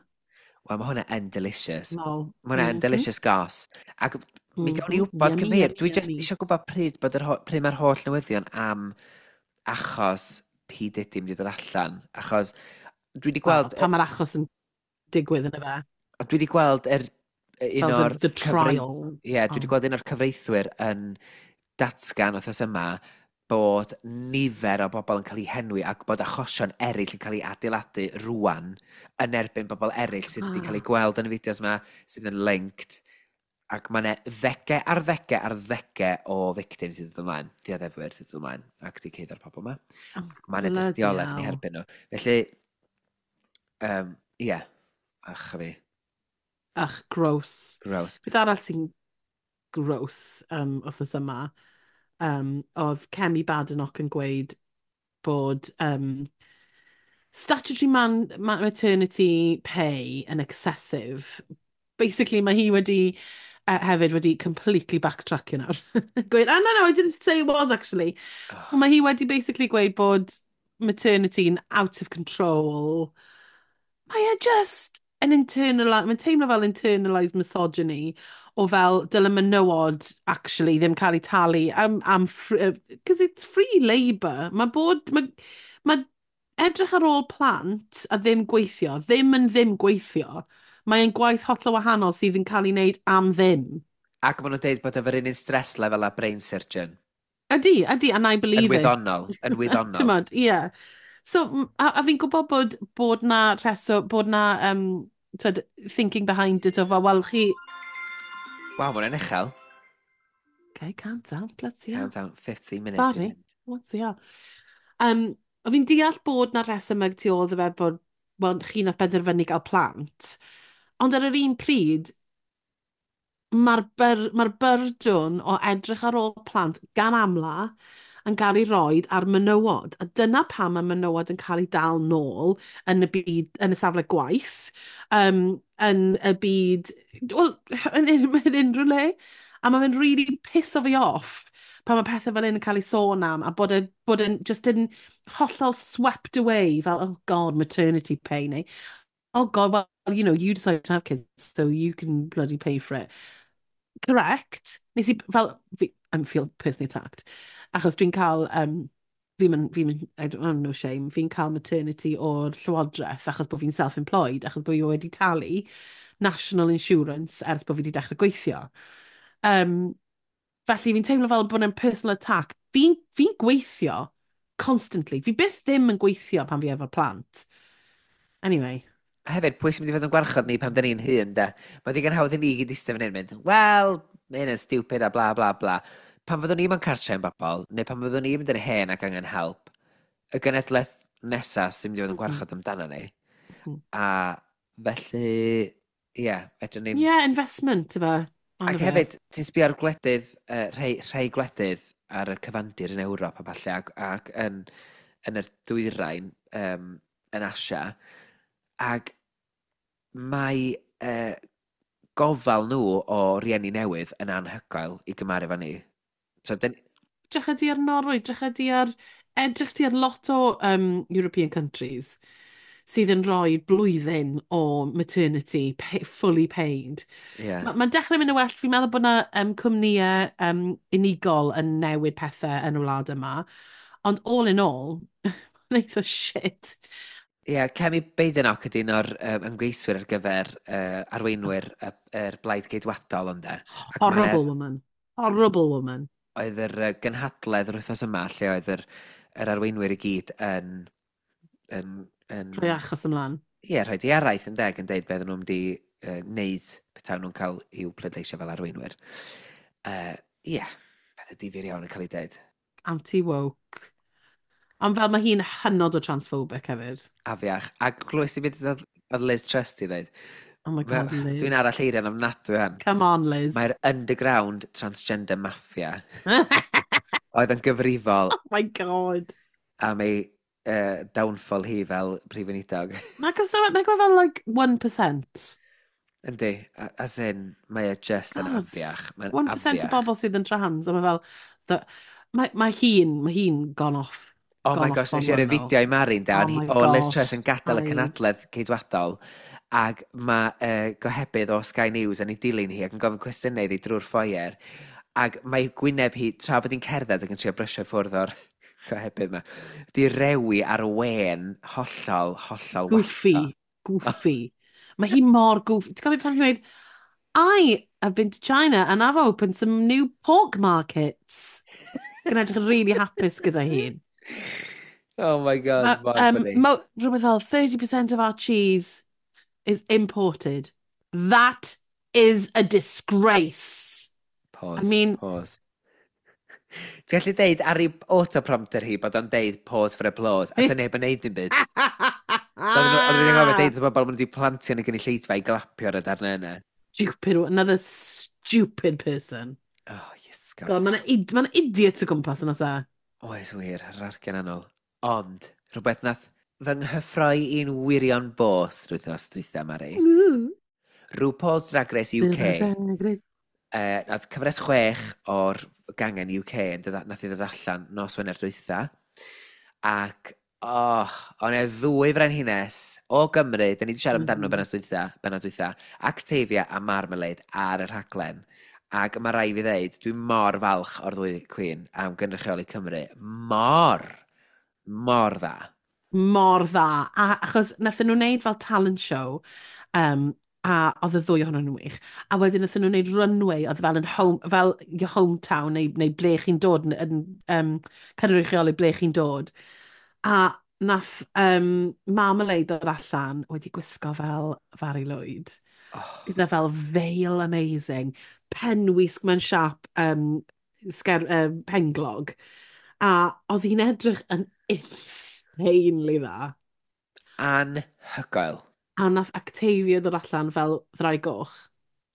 Wel, mae hwnna yn delicious. Lol. Mae hwnna yn delicious goss. Ac mi gawn ni wybod Yummy, cymhair. yummy, Dwi just yummy. eisiau gwybod pryd mae'r holl newyddion am achos P. Diddy mynd i ddod allan. Achos dwi wedi Wel, gweld pan mae'r achos yn digwydd yn y fe. Dwi wedi gweld un Fel o'r the trial. Ie, yeah, dwi wedi gweld un o'r cyfreithwyr yn datgan wythnos yma bod nifer o bobl yn cael eu henwi ac bod achosion eraill yn cael eu adeiladu rwan yn erbyn bobl eraill sydd wedi cael eu gweld yn y fideos yma, sydd yn linked. Ac mae yna ddegau ar ddegau ar ddegau o victims sydd yn dod ymlaen, dioddefwyr sydd yn dod ymlaen, ac di ceiddo'r pobl yma. Oh, Mae yna bloody dystiolaeth yn eu hell. herbyn nhw. Felly, ie, yeah. Ach fi, Ach, gross. Gross. Beth arall sy'n gross wythnos yma, oedd Kemi Badenoch yn gweud bod statutory maternity pay yn excessive. Basically, mae hi wedi hefyd wedi completely backtrackio nawr. Gweud, "Oh, no, no, I didn't say it was actually." Oh, Mae hi wedi basically gweud bod maternity yn out of control. Mae e just yn internalised, mae'n teimlo fel internalised misogyny o fel dyle menywod actually ddim cael eu talu am because it's free labour. Mae edrych ar ôl plant a ddim gweithio, ddim yn ddim gweithio. Mae'n gwaith hollol wahanol sydd yn cael ei wneud am ddim. Ac maen nhw'n dweud bod efo'r un stress level a brain surgeon. Ydy, and I believe Yn wyddonol, it. yn wyddonol. T'mod, ie. So, a fi'n gwybod bod na rheswm, bod na, t'wod, thinking behind it o fel, wel, chi. Waw, mae hwnna'n uchel. Okay, count down, let's see how. Count down, 15 minutes i Sorry. fynd. Let's see how. O fi'n deall bod na rhesymeg tu ôl iddo fe bod, wel, chi nath benderfynu gael plant. Ond ar yr un pryd, mae'r byrdwn o edrych ar ôl plant gan amla yn cael ei roed ar menywod. A dyna pam mae menywod yn cael ei dal nôl yn y byd, yn y safle gwaith, yn y byd, wel, yn unrhyw le. A mae fe'n really pisso fi off pan mae pethau fel hyn yn cael ei sôn am a bod e'n just yn hollol swept away fel, "Oh God, maternity pay" neu, "Oh God, well, you decided to have kids, so you can bloody pay for it." Correct. Nes i, fel, fi, I'm feel personally attacked. Achos dwi'n cael Fi'n mynd, fi'n mynd, I don't have no shame, fi'n cael maternity o'r llywodraeth achos bod fi'n self-employed, achos bod fi wedi talu national insurance ers bod fi wedi dechrau gweithio. Felly fi'n teimlo fel bod e'n personal attack. Fi gweithio constantly. Fi byth ddim yn gweithio pan fi efo'r plant. Anyway. A hefyd, pwy sy'n mynd i fod yn gwarchod ni pan dyn ni'n hŷn, de? Mae digon hawdd i ni gyd eistedd fan hyn mynd, "Wel, mae hyn yn stupid a bla bla bla." Pan fyddwn ni mewn cartre yn bobl, neu pan fyddwn ni'n mynd yn hen ac angen help, y genedlaeth nesaf sy'n mynd i fod yn gwarchod amdano ni. A felly, ie, yeah, fedrwn ni'n. Ie, yeah, investment, yma. Ac hefyd, ti'n sbio ar gwledydd, rhai gwledydd ar y cyfandir yn Ewrop a falle, ac yn yr dwyrain, yn Asia, ac mae gofal nhw o rieni newydd yn anhygoel i gymharu efo ni. So, den. Drycha di ar Norwy, edrych di ar lot o European countries sydd yn rhoi blwyddyn o maternity pay, fully paid. Mae'n ma dechrau mynd yn well. Fi'n meddwl bod yna cwmnïau unigol yn newid pethau yn y wlad yma. Ond all in all, mae'n eitha shit. Ie, yeah, Kemi Badenoch ydy un o'r ymgeiswyr ar gyfer arweinwyr yr Blaid Geidwadol, ynde. Ac Horrible woman. Horrible woman. Oedd yr gynhadledd yr wythnos yma lle oedd yr arweinwyr i gyd yn Rhoi achos ymlaen. Ie, yeah, rhoi di araith yn deg yn deud beth nhw'n mynd i wneud petai nhw'n cael i'w pleidleisio fel arweinwyr. Ie, yeah, pethau difyr iawn yn cael ei deud. Anti-woke. Ond fel mae hi'n hynod o transphobic hefyd. Afiach. A glwys i beth oedd Liz Truss i ddweud? Oh my God, Liz. Dwi'n arall eirian ofnadwy hwn. Come on, Liz. Mae'r underground transgender mafia oedd yn gyfrifol Oh my God. am ei downfall hi fel prif weinidog. Nag o fel like 1%. Yndi, as in, mae e just yn God. afiach. Mae'n 1% o afiach. bobl sydd yn trans, a mae fel, mae hi'n gone off. Oh my gone gosh, off on nes i ar y one though. fideo i Mari'n da, Oh my o Liz gosh, Truss yn gadael y paid. cynhadledd ceidwadol, ac mae gohebydd o Sky News yn ei dilyn hi ac yn gofyn cwestiynau iddi drwy'r foyer, ac mae gwyneb hi, tra bod hi'n cerdded ac yn trio brysio i ffwrdd o'r gohebydd yma, di rewi ar wen hollol, hollol Goofy. wallgo. Goofy. Mae hi mor goofy. Ti'n cofio pan hi'n dweud, "I have been to China and I've opened some new pork markets." Gan edrych yn really hapus gyda hi. Oh my God, mor funny. Rhywbeth fel 30% of our cheese is imported. That is a disgrace. Pause, I mean- pause. Ti'n gallu deud ar ei autoprompter hi bod o'n deud "pause for applause", a sy'n neb yn neud dim byd. Oedden nhw'n gofio deud wrth bobl maen nhw wedi plantio yn y gynulleidfa i glapio ar y darnau yna. Stupid, another stupid person. Oh, yes, God. God, mae'n ma idiots o gwmpas yn oes e? Oes wir, yr argen anol. Ond, rhywbeth nath fy nghyffroi i'n wirion bos wythnos dwytha, Mari. RuPaul's Drag Race UK. Nath cyfres 6 o'r gangen UK yn dod, nath i ddod allan nos Wener dwytha. Ac, oh, o'n e ddwy frenhines o Gymru, da ni wedi siarad amdano nhw benod dwytha, Actavia a Marmalade ar y rhaglen. Ac mae rai fi ddeud, dwi'n mor falch o'r ddwy Queen am gynrychioli Cymru. Mor, mor dda. Mor dda. A achos nathon nhw wneud fel talent show, a oedd y ddwy ohonyn nhw'n wych. A wedyn nathon nhw wneud runway, oedd fel yn home, fel your hometown, neu ble chi'n dod, yn cynrychioli ble chi'n dod. A nath Marmalade dod allan wedi gwisgo fel Fari Lwyd. Oh, Gyda fel veil amazing, penwisg mewn siap penglog. A oedd hi'n edrych yn insanely dda. Anhygoel. A nath Actavia ddod allan fel ddraig goch.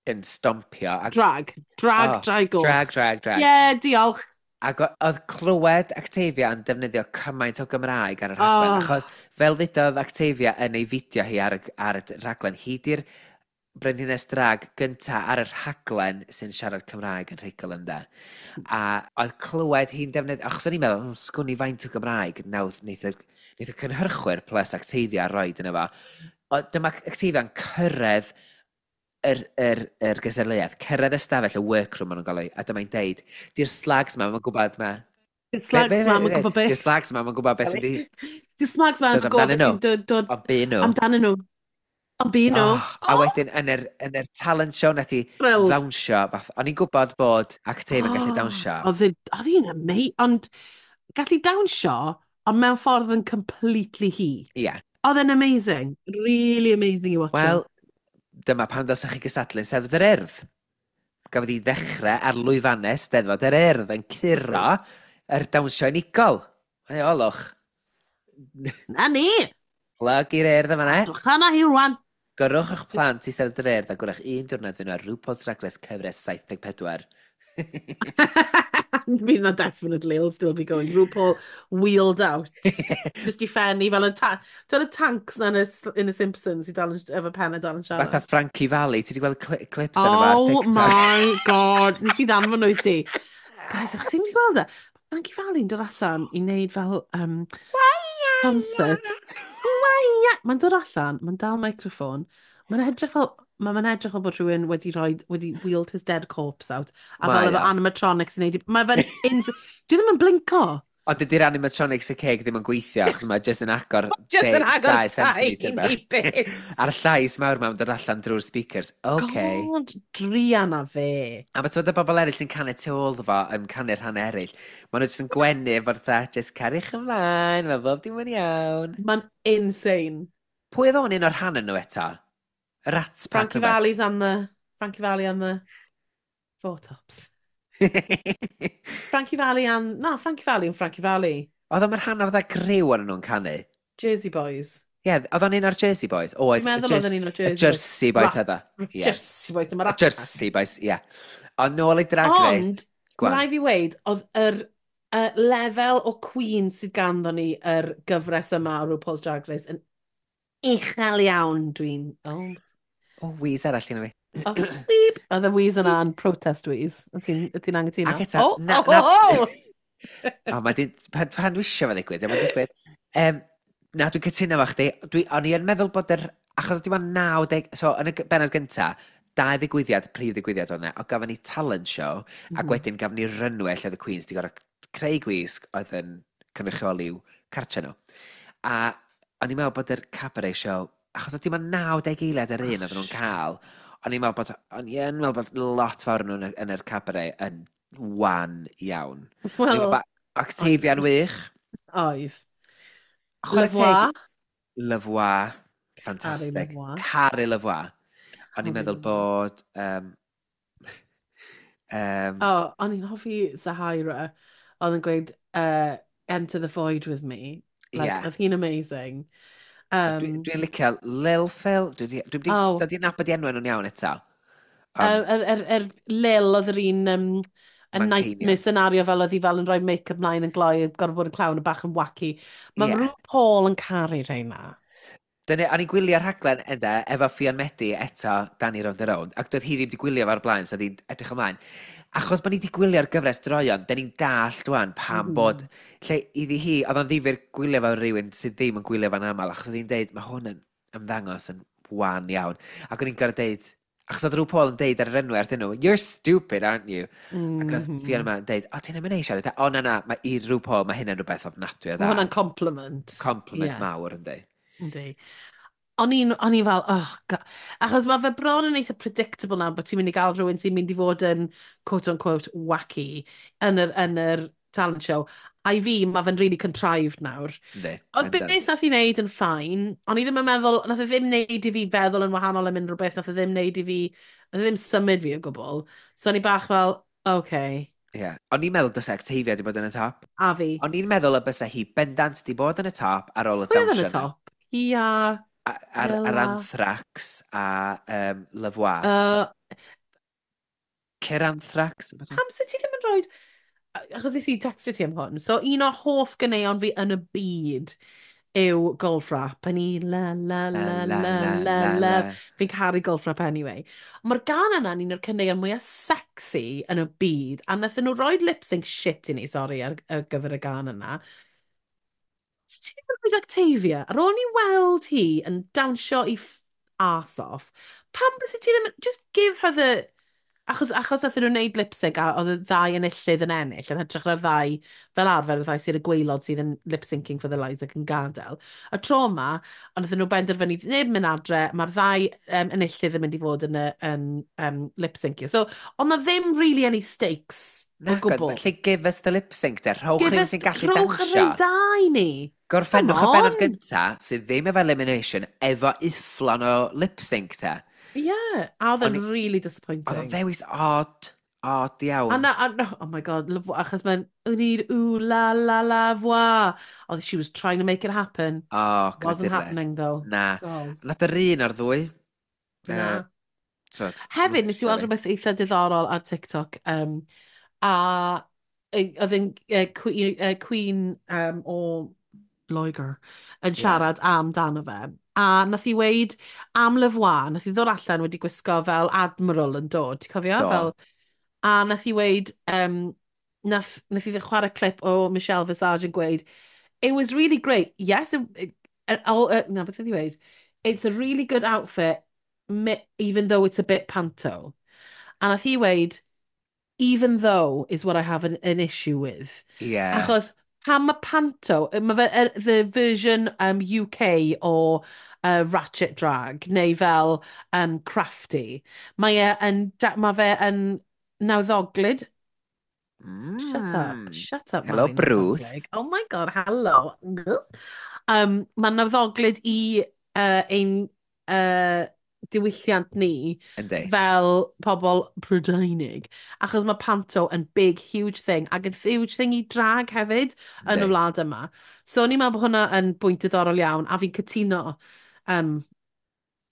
Yn stompio. Ac, Drag. Drag, Oh, draig goch. Drag, drag, drag. Yeah, diolch. Ac oedd clywed Actavia yn defnyddio cymaint o Gymraeg ar y rhaglen, Oh. achos fel ddudodd Actavia yn ei fideo hi ar y rhaglen, hi di'r brenhines drag gynta ar y rhaglen sy'n siarad Cymraeg yn rhugl, ynde. A oedd clywed hi'n defnyddio, achos o'n i'n meddwl, sgwn i faint o Gymraeg nawdd neith y cynhyrchwyr plus Actavia roed yna fo. O, dyma Actavia'n cyrraedd yr gystadleuaeth, cyrraedd y stafell, y workroom maen nhw'n gael ei, a dyma'n deud, di'r slags ma, mae'n gwybod ma, Di'r slags mam yn gwybod beth. Di'r slags mam yn gwybod beth sy'n di... Di'r slags mam yn gwybod beth sy'n dod amdanyn nhw. Ond bu nhw. Oh, a wedyn, yn yr, yn yr talent show, nath i ddawnsio. Fath, o'n i'n gwybod bod Octave yn gallu dawnsio. Oedd hi'n amazing, ond gallu dawnsio, ond mewn ffordd yn completely hi. Ie. Yeah. Oedd e'n amazing. Really amazing i watch. Wel, dyma pam dylsech chi gystadlu'n Steddfod yr Urdd. Gafodd hi ddechrau ar lwyfannau Steddfod yr Urdd yn curo yr dawnsio unigol. Mae olwch. Na ni! Plug i'r Urdd yma, ne? Drwch arna hi rwan. Gyrrwch eich plant i Steddfod yr Urdd a gwrach un diwrnod fynd ar RuPaul's Drag Race cyfres 74. Bydd na definitely, it'll still be going. RuPaul wheeled out. Just i ffenni fel y, ta y tanks na yn y Simpsons i dal yn, efo pen a dal yn siarad. Fatha Frankie Valli, ti wedi gweld clips oh arno fo ar TikTok? Oh my God, nes i ddanfon nhw i ti. Guys, ych ti'n wedi gweld e? Frankie Valli'n dod allan i wneud fel concert. Mae'n dod allan, mae'n dal microffon, mae'n edrych fel, mae'n edrych fel bod rhywun wedi rhoi, wedi wheeled his dead corpse out. A fel efo animatronics yn neud, mae fe'n, dwi ddim yn blinko. Ond dydy'r animatronics y ceg ddim yn gweithio, achos mae jyst yn agor just yn agor 2 centimetr bach. A'r llais mawr ma'n dod allan drwy'r speakers. OK. God, druan a fe. A mae ti'n y bobl eraill sy'n canu tu ôl fo yn canu'r rhan eraill. Maen nhw jyst yn gwenu efo'r dda, just cariwch ymlaen, mae bob dim yn iawn. Mae'n insane. Pwy oedd o'n un o'r rhan yn nhw eto? Y Rat Pack. Frankie Valli and the Four Tops. Frankie Valli and... Na, Frankie Valli and Frankie Valli. Oedd o'n rhan o'r dda griw o'n nhw'n canu? Jersey Boys. Ie, yeah, oedd o'n un o'r Jersey Boys? Oedd. Dwi'n meddwl oedd o'n un o'r Jersey Boys. Jersey Boys oedd o. Jersey Boys, dyma Rat Jersey Boys, ie. Yeah. Ond nôl i Drag Race. Ond, mae rhaid fi weud, oedd yr lefel o Queen sydd ganddo ni yr gyfres yma o RuPaul's Drag Race yn uchel iawn, dwi'n... Oh, oh wheeze arall gyda fi. Oh, beep. Oedd y wheeze yna yn protest wheeze. Wyt ti'n anghytuno? Ac eto... Oh, na, oh, oh, oh! Oh, mae di, pan dwi eisiau fe ddigwydd, mae'n digwydd. Na, dwi'n cytuno efo chdi. O'n i yn meddwl bod yr... Achos dim ond 90... So, yn y bennod gynta, dau ddigwyddiad, prif ddigwyddiad o'na, o gafon ni talent show, ac wedyn gafon ni runway lle oedd y Queens di gorfod creu gwisg oedd yn cynrychioli i'w cartre nhw. A o'n i'n meddwl bod yr cabaret show, achos oedd dim ond 90 eiliad yr un oedden nhw'n cael, o'n i'n meddwl bod lot fawr nhw yn yr cabaret yn wan iawn. Wel, Octavia'n wych. Oedd. Chwarae teg. Levois. Fantastic. Caru Levois. O'n i'n meddwl bod... Oh, o'n i'n hoffi Zahara. Oedd yn gweud, "Enter the void with me." Like, yeah. Oedd hi'n amazing. Dwi'n licio Lil Phil. Dwi wedi dod i nabod i enw nhw'n iawn eto. Er Lil oedd yr un y nightmare scenario fel oedd hi fel yn rhoi make-up mlaen yn gloi, gorfod bod yn clown yn bach yn wacky. Mae yeah. RuPaul yn caru rheina. Dyna, o'n i'n gwylio'r rhaglen ynde, efo Ffion Medi eto, Danny Rownd a Rownd, ac doedd hi ddim wedi gwylio fo'r blaen, so oedd hi'n edrych ymlaen. Achos bod ni wedi gwylio'r gyfres droion, da ni'n dallt wan pam bod... Lle iddi hi, oedd o'n ddifyr gwylio fo rhywun sydd ddim yn gwylio fo'n aml, achos oedd hi'n deud, mae hwn yn ymddangos yn wan iawn. Ac o'n i'n gorfod deud, achos oedd RuPaul yn deud ar yr enw wrthyn nhw, "You're stupid, aren't you?" Ac oedd Fiona yma yn deud, "O, ti'n mynd ei siarad?" O, na, na, mae i RuPaul, mae hynna'n rhywbeth ofnadwy o dda. Mae hwnna'n compliment. Compliment mawr, yndi. Yndi. O'n i fel, oh, God. Achos mae fe bron yn eitha predictable nawr bod ti'n mynd i gael rhywun sy'n mynd i fod yn quote-unquote wacky yn yr talent show. A i fi, mae fe'n really contrived nawr. Yndi. Ond beth nath i wneud yn fine, o'n i ddim yn meddwl, nath e ddim wneud i fi feddwl yn wahanol am unrhyw beth, nath e ddim wneud i fi, nath e ddim symud fi o gwbl. So o'n i bach fel, okay. Ie. Yeah. O'n i'n meddwl dysa Octavia di bod yn y top. A fi. O'n i'n meddwl y bysa hi bendant di bod yn y top ar ôl y dawnsio. Pwy oedd yn y top? Hi a... Ar Anthrax a Levois. Cyr Anthrax? Pam sydd ti ddim yn rhoi... Achos nes i textio ti am hwn. So un o hoff ganeuon fi yn y byd yw Goldfrapp. A ni la la la la la la la. Fi'n caru Goldfrapp anyway. Mae'r gan yna'n un o'r caneuon mwyaf sexy yn y byd. A nathon nhw roi lip sync shit i ni, sorry, ar gyfer y gan yna. Ti ddim yn rhoi Octavia, ar ôl ni weld hi yn dawnsio i arse off, pam bys ti ddim, just give her the Achos nath nhw'n wneud lip sync a oedd y ddau enillydd yn ennill, yn hytrach na'r ddau, fel arfer, y ddau sydd y gwaelod sydd yn lip syncing for the lives ac yn gadael. Y tro yma, ond nath nhw benderfynu neb mynd adre, mae'r ddau enillydd yn mynd i fod yn lip syncio. So, ond na ddim really any stakes o gwbl. Felly give us the lip sync de, rhowch rhywun sy'n gallu dawnsio. Rhowch yr da i ni. Gorffennwch y benod gynta, sydd ddim efo elimination, efo ufflon o lip sync te. Yeah, a oedd e'n really disappointing. Oedd o'n ddewis odd, odd iawn. A na, a, no, oh my God, achos mae'n, we need ooh la la la voix. Oh, she was trying to make it happen. Oh, Wasn't happening though. Na. Soz. Nath yr un o'r ddwy. Na. Hefyd, nes i weld rhywbeth eitha diddorol ar TikTok. A oedd yn Queen o Loegr yn siarad amdano fe. A nath i weid am Le Voix, nath i ddod allan wedi gwisgo fel admiral yn dod, ti'n cofio? Do. Fel, a nath i weid, nath i chwarae clip o Michelle Visage yn gweud, "It was really great, yes," na, beth oedd i weid? "It's a really good outfit, even though it's a bit panto." A nath i weid, "Even though is what I have an issue with." Achos pam mae panto, mae fe the version UK o Ratchet Drag, neu fel Crafty. Mae fe yn nawddoglyd. Shut up, shut up. Hello, Bruce. Oh my God, hello. Mae'n nawddoglyd i ein diwylliant ni fel pobl Brydeinig. Achos mae panto yn big, huge thing, ac yn huge thing i drag hefyd yn y wlad yma. So o'n i'n meddwl bod hwnna yn bwynt diddorol iawn, a fi'n cytuno.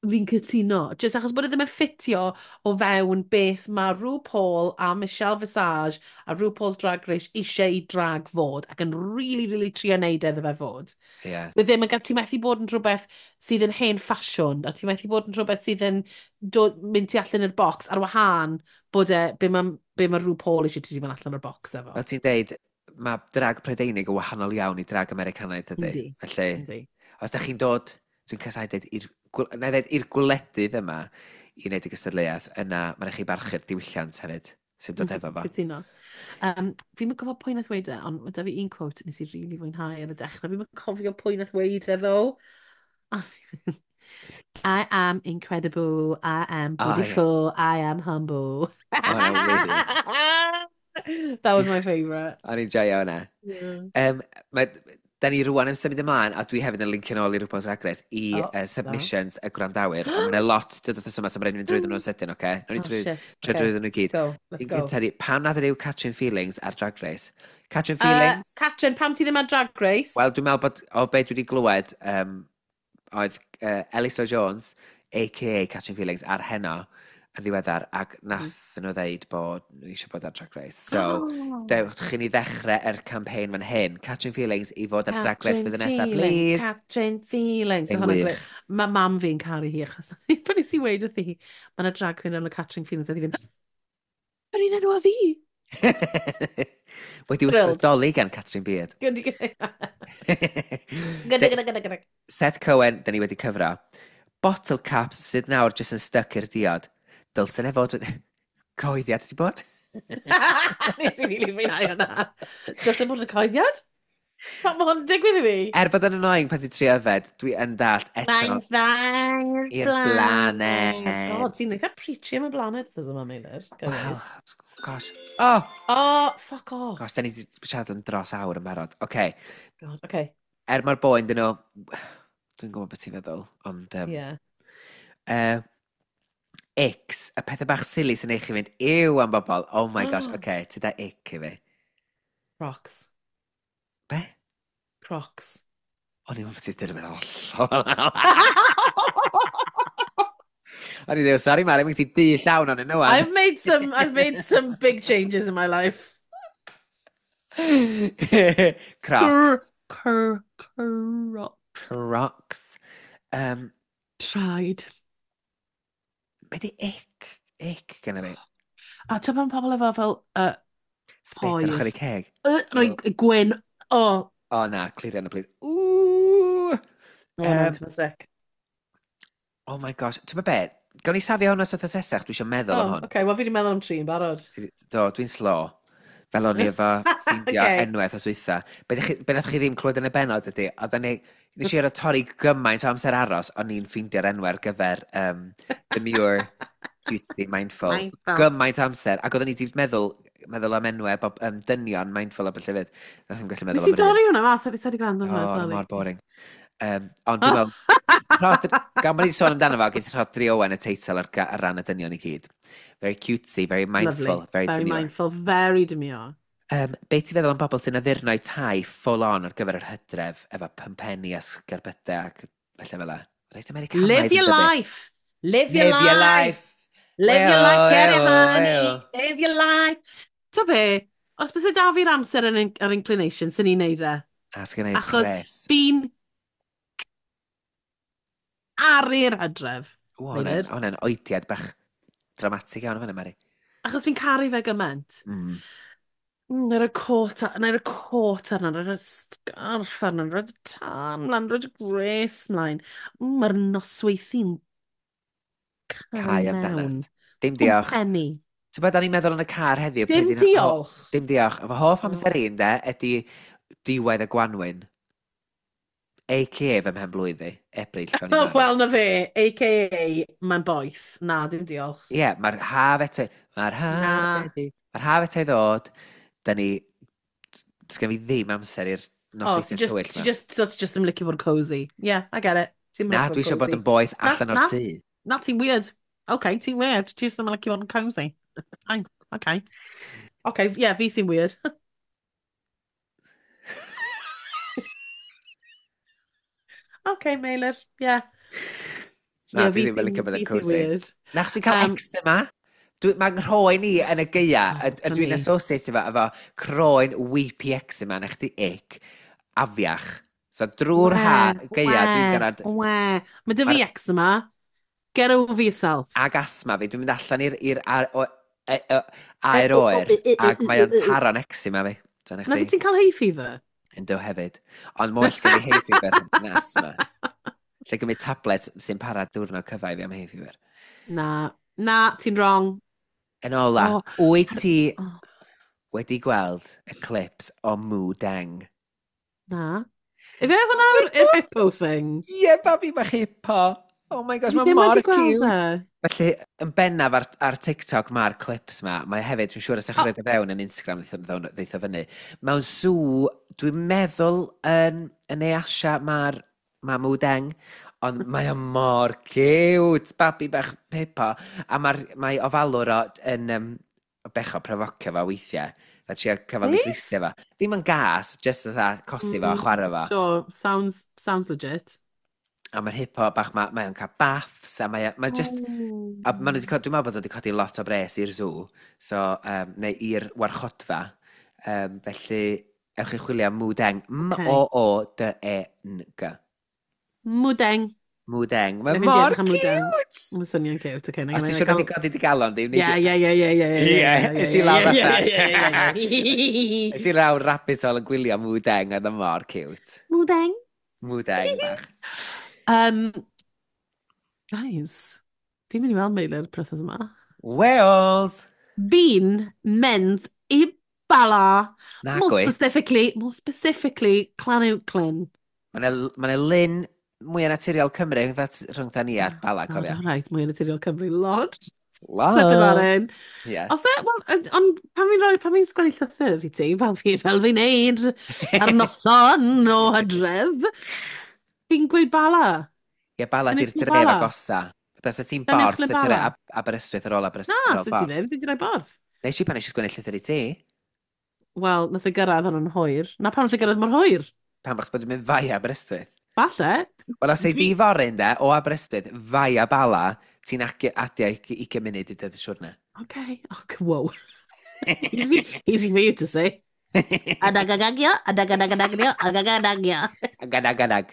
Fi'n cytuno. Just achos bod e ddim yn ffitio o fewn beth mae RuPaul a Michelle Visage a RuPaul's Drag Race eisiau i drag fod, ac yn really, really trio neud iddo fe fod. Mae ddim yn gael, ti'n methu bod yn rhywbeth sydd yn hen ffasiwn, a ti'n methu bod yn rhywbeth sydd yn dod, mynd tu allan i'r bocs ar wahân bod e, be ma RuPaul eisiau ti mynd allan o'r bocs efo. Fel ti'n deud, mae drag Prydeinig yn wahanol iawn i drag Americanaidd ydy. Yndi. Felly, Yndi. os da chi'n dod, dwi'n casau dweud, na i ddeud, i'r gwledydd yma i wneud y gystadleuaeth, yna mae'n rhaid chi barchu'r diwylliant hefyd sy'n dod efo fo. Cytuno. Fi'n mynd gwybod pwy nath weud e, ond mae da fi un quote nes i really fwynhau ar y dechrau. Fi'n mynd cofio pwy nath weud e, ddo. "I am incredible, I am beautiful, I am humble." Oh, really? That was my favourite. O'n i'n joio hwnna. Yeah. Da ni rwan yn symud ymlaen, a dwi hefyd yn lincio nôl i RuPaul's Drag Race, i Oh, submissions y gwrandawyr. A mae'n lot dod wrth yma, so mae'n rhaid i fynd drwyddyn nhw'n sydyn, oce? Nawn ni Oh, shit. trio Okay. drwyddyn nhw gyd. Go, let's Un go. gyntaf di, pam nad yw Catrin Feelings ar Drag Race? Catrin Feelings? Catrin, pam ti ddim ar Drag Race? Wel, dwi'n meddwl bod, o be dwi wedi glywed, oedd Ellis Lloyd Jones, a.k.a. Catrin Feelings, ar Heno yn ddiweddar, ac nath nhw ddeud bod nhw eisiau bod ar Drag Race. So, Oh. dewch chi ni ddechrau yr campaign fan hyn. Catrin Feelings i fod ar Drag Race Catrin fydd y nesaf, Feelings, please. Catrin Feelings. Yn Hwnna'n wych. grêt. Mae mam fi'n caru hi achos pan nes i weid wrthi hi, mae yna drag queen yn y Catrin Feelings, a hi fynd, "Yr un enw a fi." Wedi Thrilled. ysbrydoli gan Catrin Beard. Gyda, gyda, gyda, gyda. Seth Cohen, da ni wedi cyfro. Bottle caps sydd nawr jyst yn stuck i'r diod. Dylsen e fod cyhoeddiad wedi bod? Nes i rili fwynhau hwnna. Does e bod yn cyhoeddiad? Pam mae hwn yn digwydd i fi? Er bod yn annoying pan ti'n trio yfed, dwi yn dallt eto Mae'n dda i'r i'r blaned. God, ti'n eitha preachy am y blaned wrth yma, Meilir. Wel, gosh. Oh, Oh, fuck off. gosh, da ni wedi siarad yn dros awr yn barod. Oce, okay. God, okay. Er mae'r boen dyn nhw, dwi'n gwybod beth ti'n feddwl, ond Yeah. Icks, y pethau bach silly sy'n eich chi fynd, ew am bobl. Oh my gosh, oce, okay, ti da ick i fi. Crocs. Be? Crocs. O'n i'n meddwl ti'n dweud hollol. O'n i'n dweud, sorry Mari, mae'n ti du llawn o'n nhw. I've made some big changes in my life. Crocs. Crocs. Crocs. Tried. Be di ick? Ick gyda fi. A ti'n pan pobl efo fel Spit ar Poer. ochr eu ceg. Rhoi gwyn. Oh, O na, clirio yna, please. Ooh! Oh no, ti'n sick. Oh my gosh, ti'n be? Gawn ni safio hwn os wythnos nesaf, dwi eisiau meddwl am Oh, hwn. okay, wel fi wedi meddwl am tri yn barod. Do, dwi'n slo. Fel o'n i efo ffeindio Okay. enwaith os wytha. Be, be nath chi ddim clywed yn y benod ydy, oedden ni, nes i ar torri gymaint o amser aros, o'n i'n ffeindio'r enwau ar gyfer Demure, Cutesy, Mindful. Mindful. Gymaint o amser, ac oedden ni wedi meddwl am enwau, bob, dynion Mindful a beth hefyd. Nath ddim gallu meddwl Nes i am dorri hwnna mas, a fi wedi gwrando O, hwnna, oedd o sorry. mor boring. Ond dwi'n meddwl, gan bod ni wedi sôn amdano fo, geith Rhodri Owen y teitl ar ran y dynion i gyd. Very cutesy, very mindful, Lovely. very, Very demure. mindful, very demure. Be ti'n feddwl am bobl sy'n addurno tai full on ar gyfer yr hydref efo pympenni a sgerbydau ac felly fel 'a? Reit Americanaidd, Live your yn dydi? life! Live your Live your life! life! Live your Eo, life, get it, eo, honey! eo. Live your life! To be, os byse da fi'r amser yr inclination, sy'n ni'n neud e. A sgen i'r Achos pres. fi'n caru'r hydref. O, Meilir. hwnna'n oediad bach dramatig iawn fan'na, Mari. Achos fi'n caru fe gymaint. Na'i roi cot, na'i roi cot arno, na'i roi sgarff arno, na'i roi tân mlaen, na'i roi gwres mlaen. Mae'r nosweithi'n Cau cau mewn. amdanat. Dim diolch. Pwmpenni. Ti'n bod, o'n i'n meddwl yn y car heddiw. Dim pryd diolch. Dim diolch. Fy hoff amser i, ynde, ydy diwedd y gwanwyn. A.K.A. fy mhen blwydd i. Ebrill, o'n i'n marw. Wel, na fe, a.k.a. mae'n boeth. Na, dim diolch. Ie, mae'r haf eto... Mae'r haf Na. wedi... Mae'r haf eto i ddod. Da ni... Sgen fi ddim amser i'r Oh, nosweithiau ti just, tywyll ti ma. just, so ti just ddim licio bod yn cozy. Yeah, I get it. Ti'n Na, licio dwi eisiau bod cozy. yn boeth Na, allan o'r na. tŷ. Na, ti'n weird. Okay, ti'n weird. Ti just ddim yn licio bod yn cozy. Fine, okay. Okay, yeah, fi sy'n weird. Okay, Meilir, yeah. Na, Yeah, dwi fi ddim yn licio bod yn fi sy'n cozy. weird. Na, chos dwi'n cael eczema. Mae'n rhoen i yn y gaea, Oh, dwi'n funny. associate efo croen weepy eczema, na chdi ick, afiach. So drwy'r ha, gaea, dwi'n gyrraedd We. Mae dy fi eczema. Get over yourself. Ag asma fi, dwi'n mynd allan i'r aer oer, ac mae o'n taro'n eczema fi. So na Na, chdi, ti'n cael hay fever? Yndw hefyd. Ond mae'n well gen i hay fever na asma. Lle gymryd tablet sy'n para diwrnod cyfa i fi am hay fever. Na, na, ti'n wrong. Yn ola, Oh, wyt ti oh. wedi gweld y clips o Moo Deng? Na. Ife hwnna'r Oh my hippo thing? Ie, yeah, babi bach hippo. Oh my gosh, Fi mae ddim mor wedi gweld cute. e. Felly, yn bennaf ar TikTok mae'r clips ma, mae hefyd, dwi'n siŵr os ydych chi'n Oh. rhoid o fewn yn Instagram, ddeith o fyny. Mewn zoo, dwi'n meddwl yn Ne Asia mae'r ma Moo Deng, ond mae o mor cute, babi bach hippo. A mae ofalwr o yn becho profocio fo weithiau. A trio cyfal i Beth? gristio fo. Dim yn gas, just fatha cosi fo a chwarae fo. Sure, sounds legit. A mae'r hippo bach, mae o'n cael baths, a mae just... A maen nhw wedi dwi'n meddwl bod nhw wedi codi lot o bres i'r zoo, so, neu i'r warchodfa. Felly, ewch i chwilio am Moo Deng. M-O-O-D-E-N-G. Moo Deng. Moo Deng. Mae Na, fi'n mor edrych am Moo Deng. cute! Mae'n swnio'n cute, okay. Os ti eisiau rhywbeth i godi dy galon, di? Ie, ie, ie, ie, ie, ie, Ie, es i lawr ie, fatha. ie, ie, ie, Es i lawr rabbit hole yn gwylio Moo Deng, oedd o mor cute. Moo Deng. Moo Deng bach. Guys, fi'n mynd i weld Meilir wythnos yma. Wales! Fi'n mynd i Bala. Na More gwyt. specifically, Llanuwchllyn. Mae 'na lyn mwy naturiol Cymru rhwngtha ni a'r Bala, Oh, cofio. all right, mwy naturiol Cymru. Lord. Lord. Slip that in. Yeah. Os e, wel, ond pan fi'n sgwennu llythyr i ti, fel fi'n neud ar noson o hydref, fi'n gweud Bala. Ie, Bala Yn di'r eich dref Bala? agosa. Fatha, sa ti'n Yn Borth, eich sa ti'n rhoi Bala? Aberystwyth ar ôl Aberystwyth Na, ar ôl sa ti Borth. ddim, ti di rhoi Borth. Nes i pan nes i sgwennu llythyr i ti, Wel, nath e gyrraedd hwn yn hwyr. Na pam nath e gyrraedd mor hwyr? pan bach bod yn mynd fai Aberystwyth. Falle. Wel, os ei di fory, ynde, o Aberystwyth, fai a Bala, ti'n adio 20 munud i dod y siwrne. Okay. Oh, whoa. Easy, easy for you to say. Adagadagio, adagadagio, adagadagio. Agadag, adag.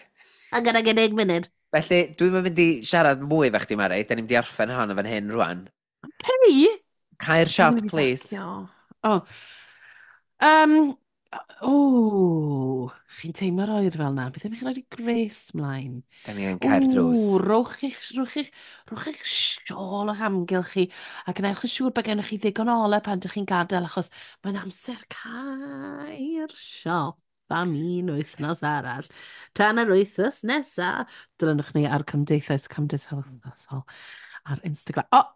Agadagadeg munud. Felly, dwi'n mynd i siarad mwy efo chdi, Mari. Da ni'n mynd i orffen hon yn fan hyn rwan. Hey! Cau'r siop, please. Oh. Oh. Chi'n teimlo'r oer fel na. Beth am i chi roed i grace mlaen? Da ni yn cau'r drws. Ww, rhowch eich siôl o'ch amgylch chi a gwnewch yn siŵr bod gennych chi ddigon o ole pan ydych chi'n gadael, achos mae'n amser cau'r siop am un wythnos arall. Tan yr wythnos nesa, dilynwch ni ar Cymdeithas Cymdeithasol ar Instagram. O! Oh,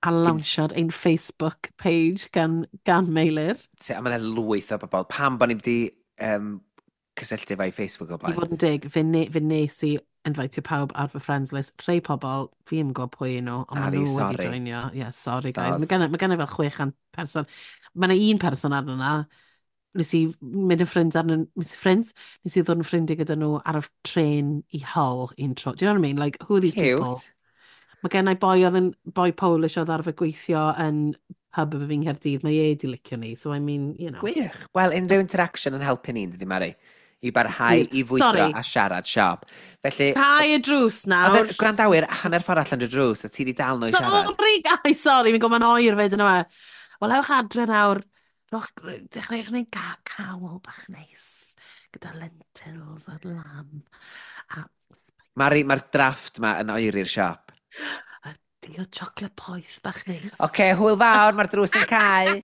a lawnsiad ein Facebook page gan Meilir. A mae yna lwyth o bobl. Pam bod ni wedi cysylltu efo'i Facebook o I blaen? fod yn deg, fe nes i invitio pawb ar fy friends list. Rhai pobl, fi ddim yn gwybod pwy nhw, ond A maen fi, nhw wedi sorry. joinio. Yeah, sorry guys. Soz. Mae gen i fel 600 person. Mae yna un person arno na. Nes i mynd yn ffrind arno, nes i ffrinds, nes i ddod yn ffrindiau gyda nhw ar y tren i Hull un tro. Do you know what I mean? Like, who are these people? Cute. Mae gen i boi oedd yn boi Polish oedd arfer gweithio yn pub efo fi'n Nghaerdydd. Mae e di licio ni, so I mean. Gwych. Wel, unrhyw interaction yn helpu ni, dydy Mari? I barhau i fwydro Sorry. a siarad siop. Felly, Cau y drws nawr. oedd y gwrandawyr hanner ffordd allan y drws a ti di dal nhw i siarad. Sorry, guys, sorry, fi'n gwybod mae'n oer fyd yna. Wel, ewch adre nawr. Rhowch, dechreuwch wneud cawl bach neis gyda lentils a lamb. A, Mari, mae'r drafft ma yn oeri'r siop. A diod chocolate poeth bach neis. Oce, okay, hwyl fawr, mae'r drws yn cau.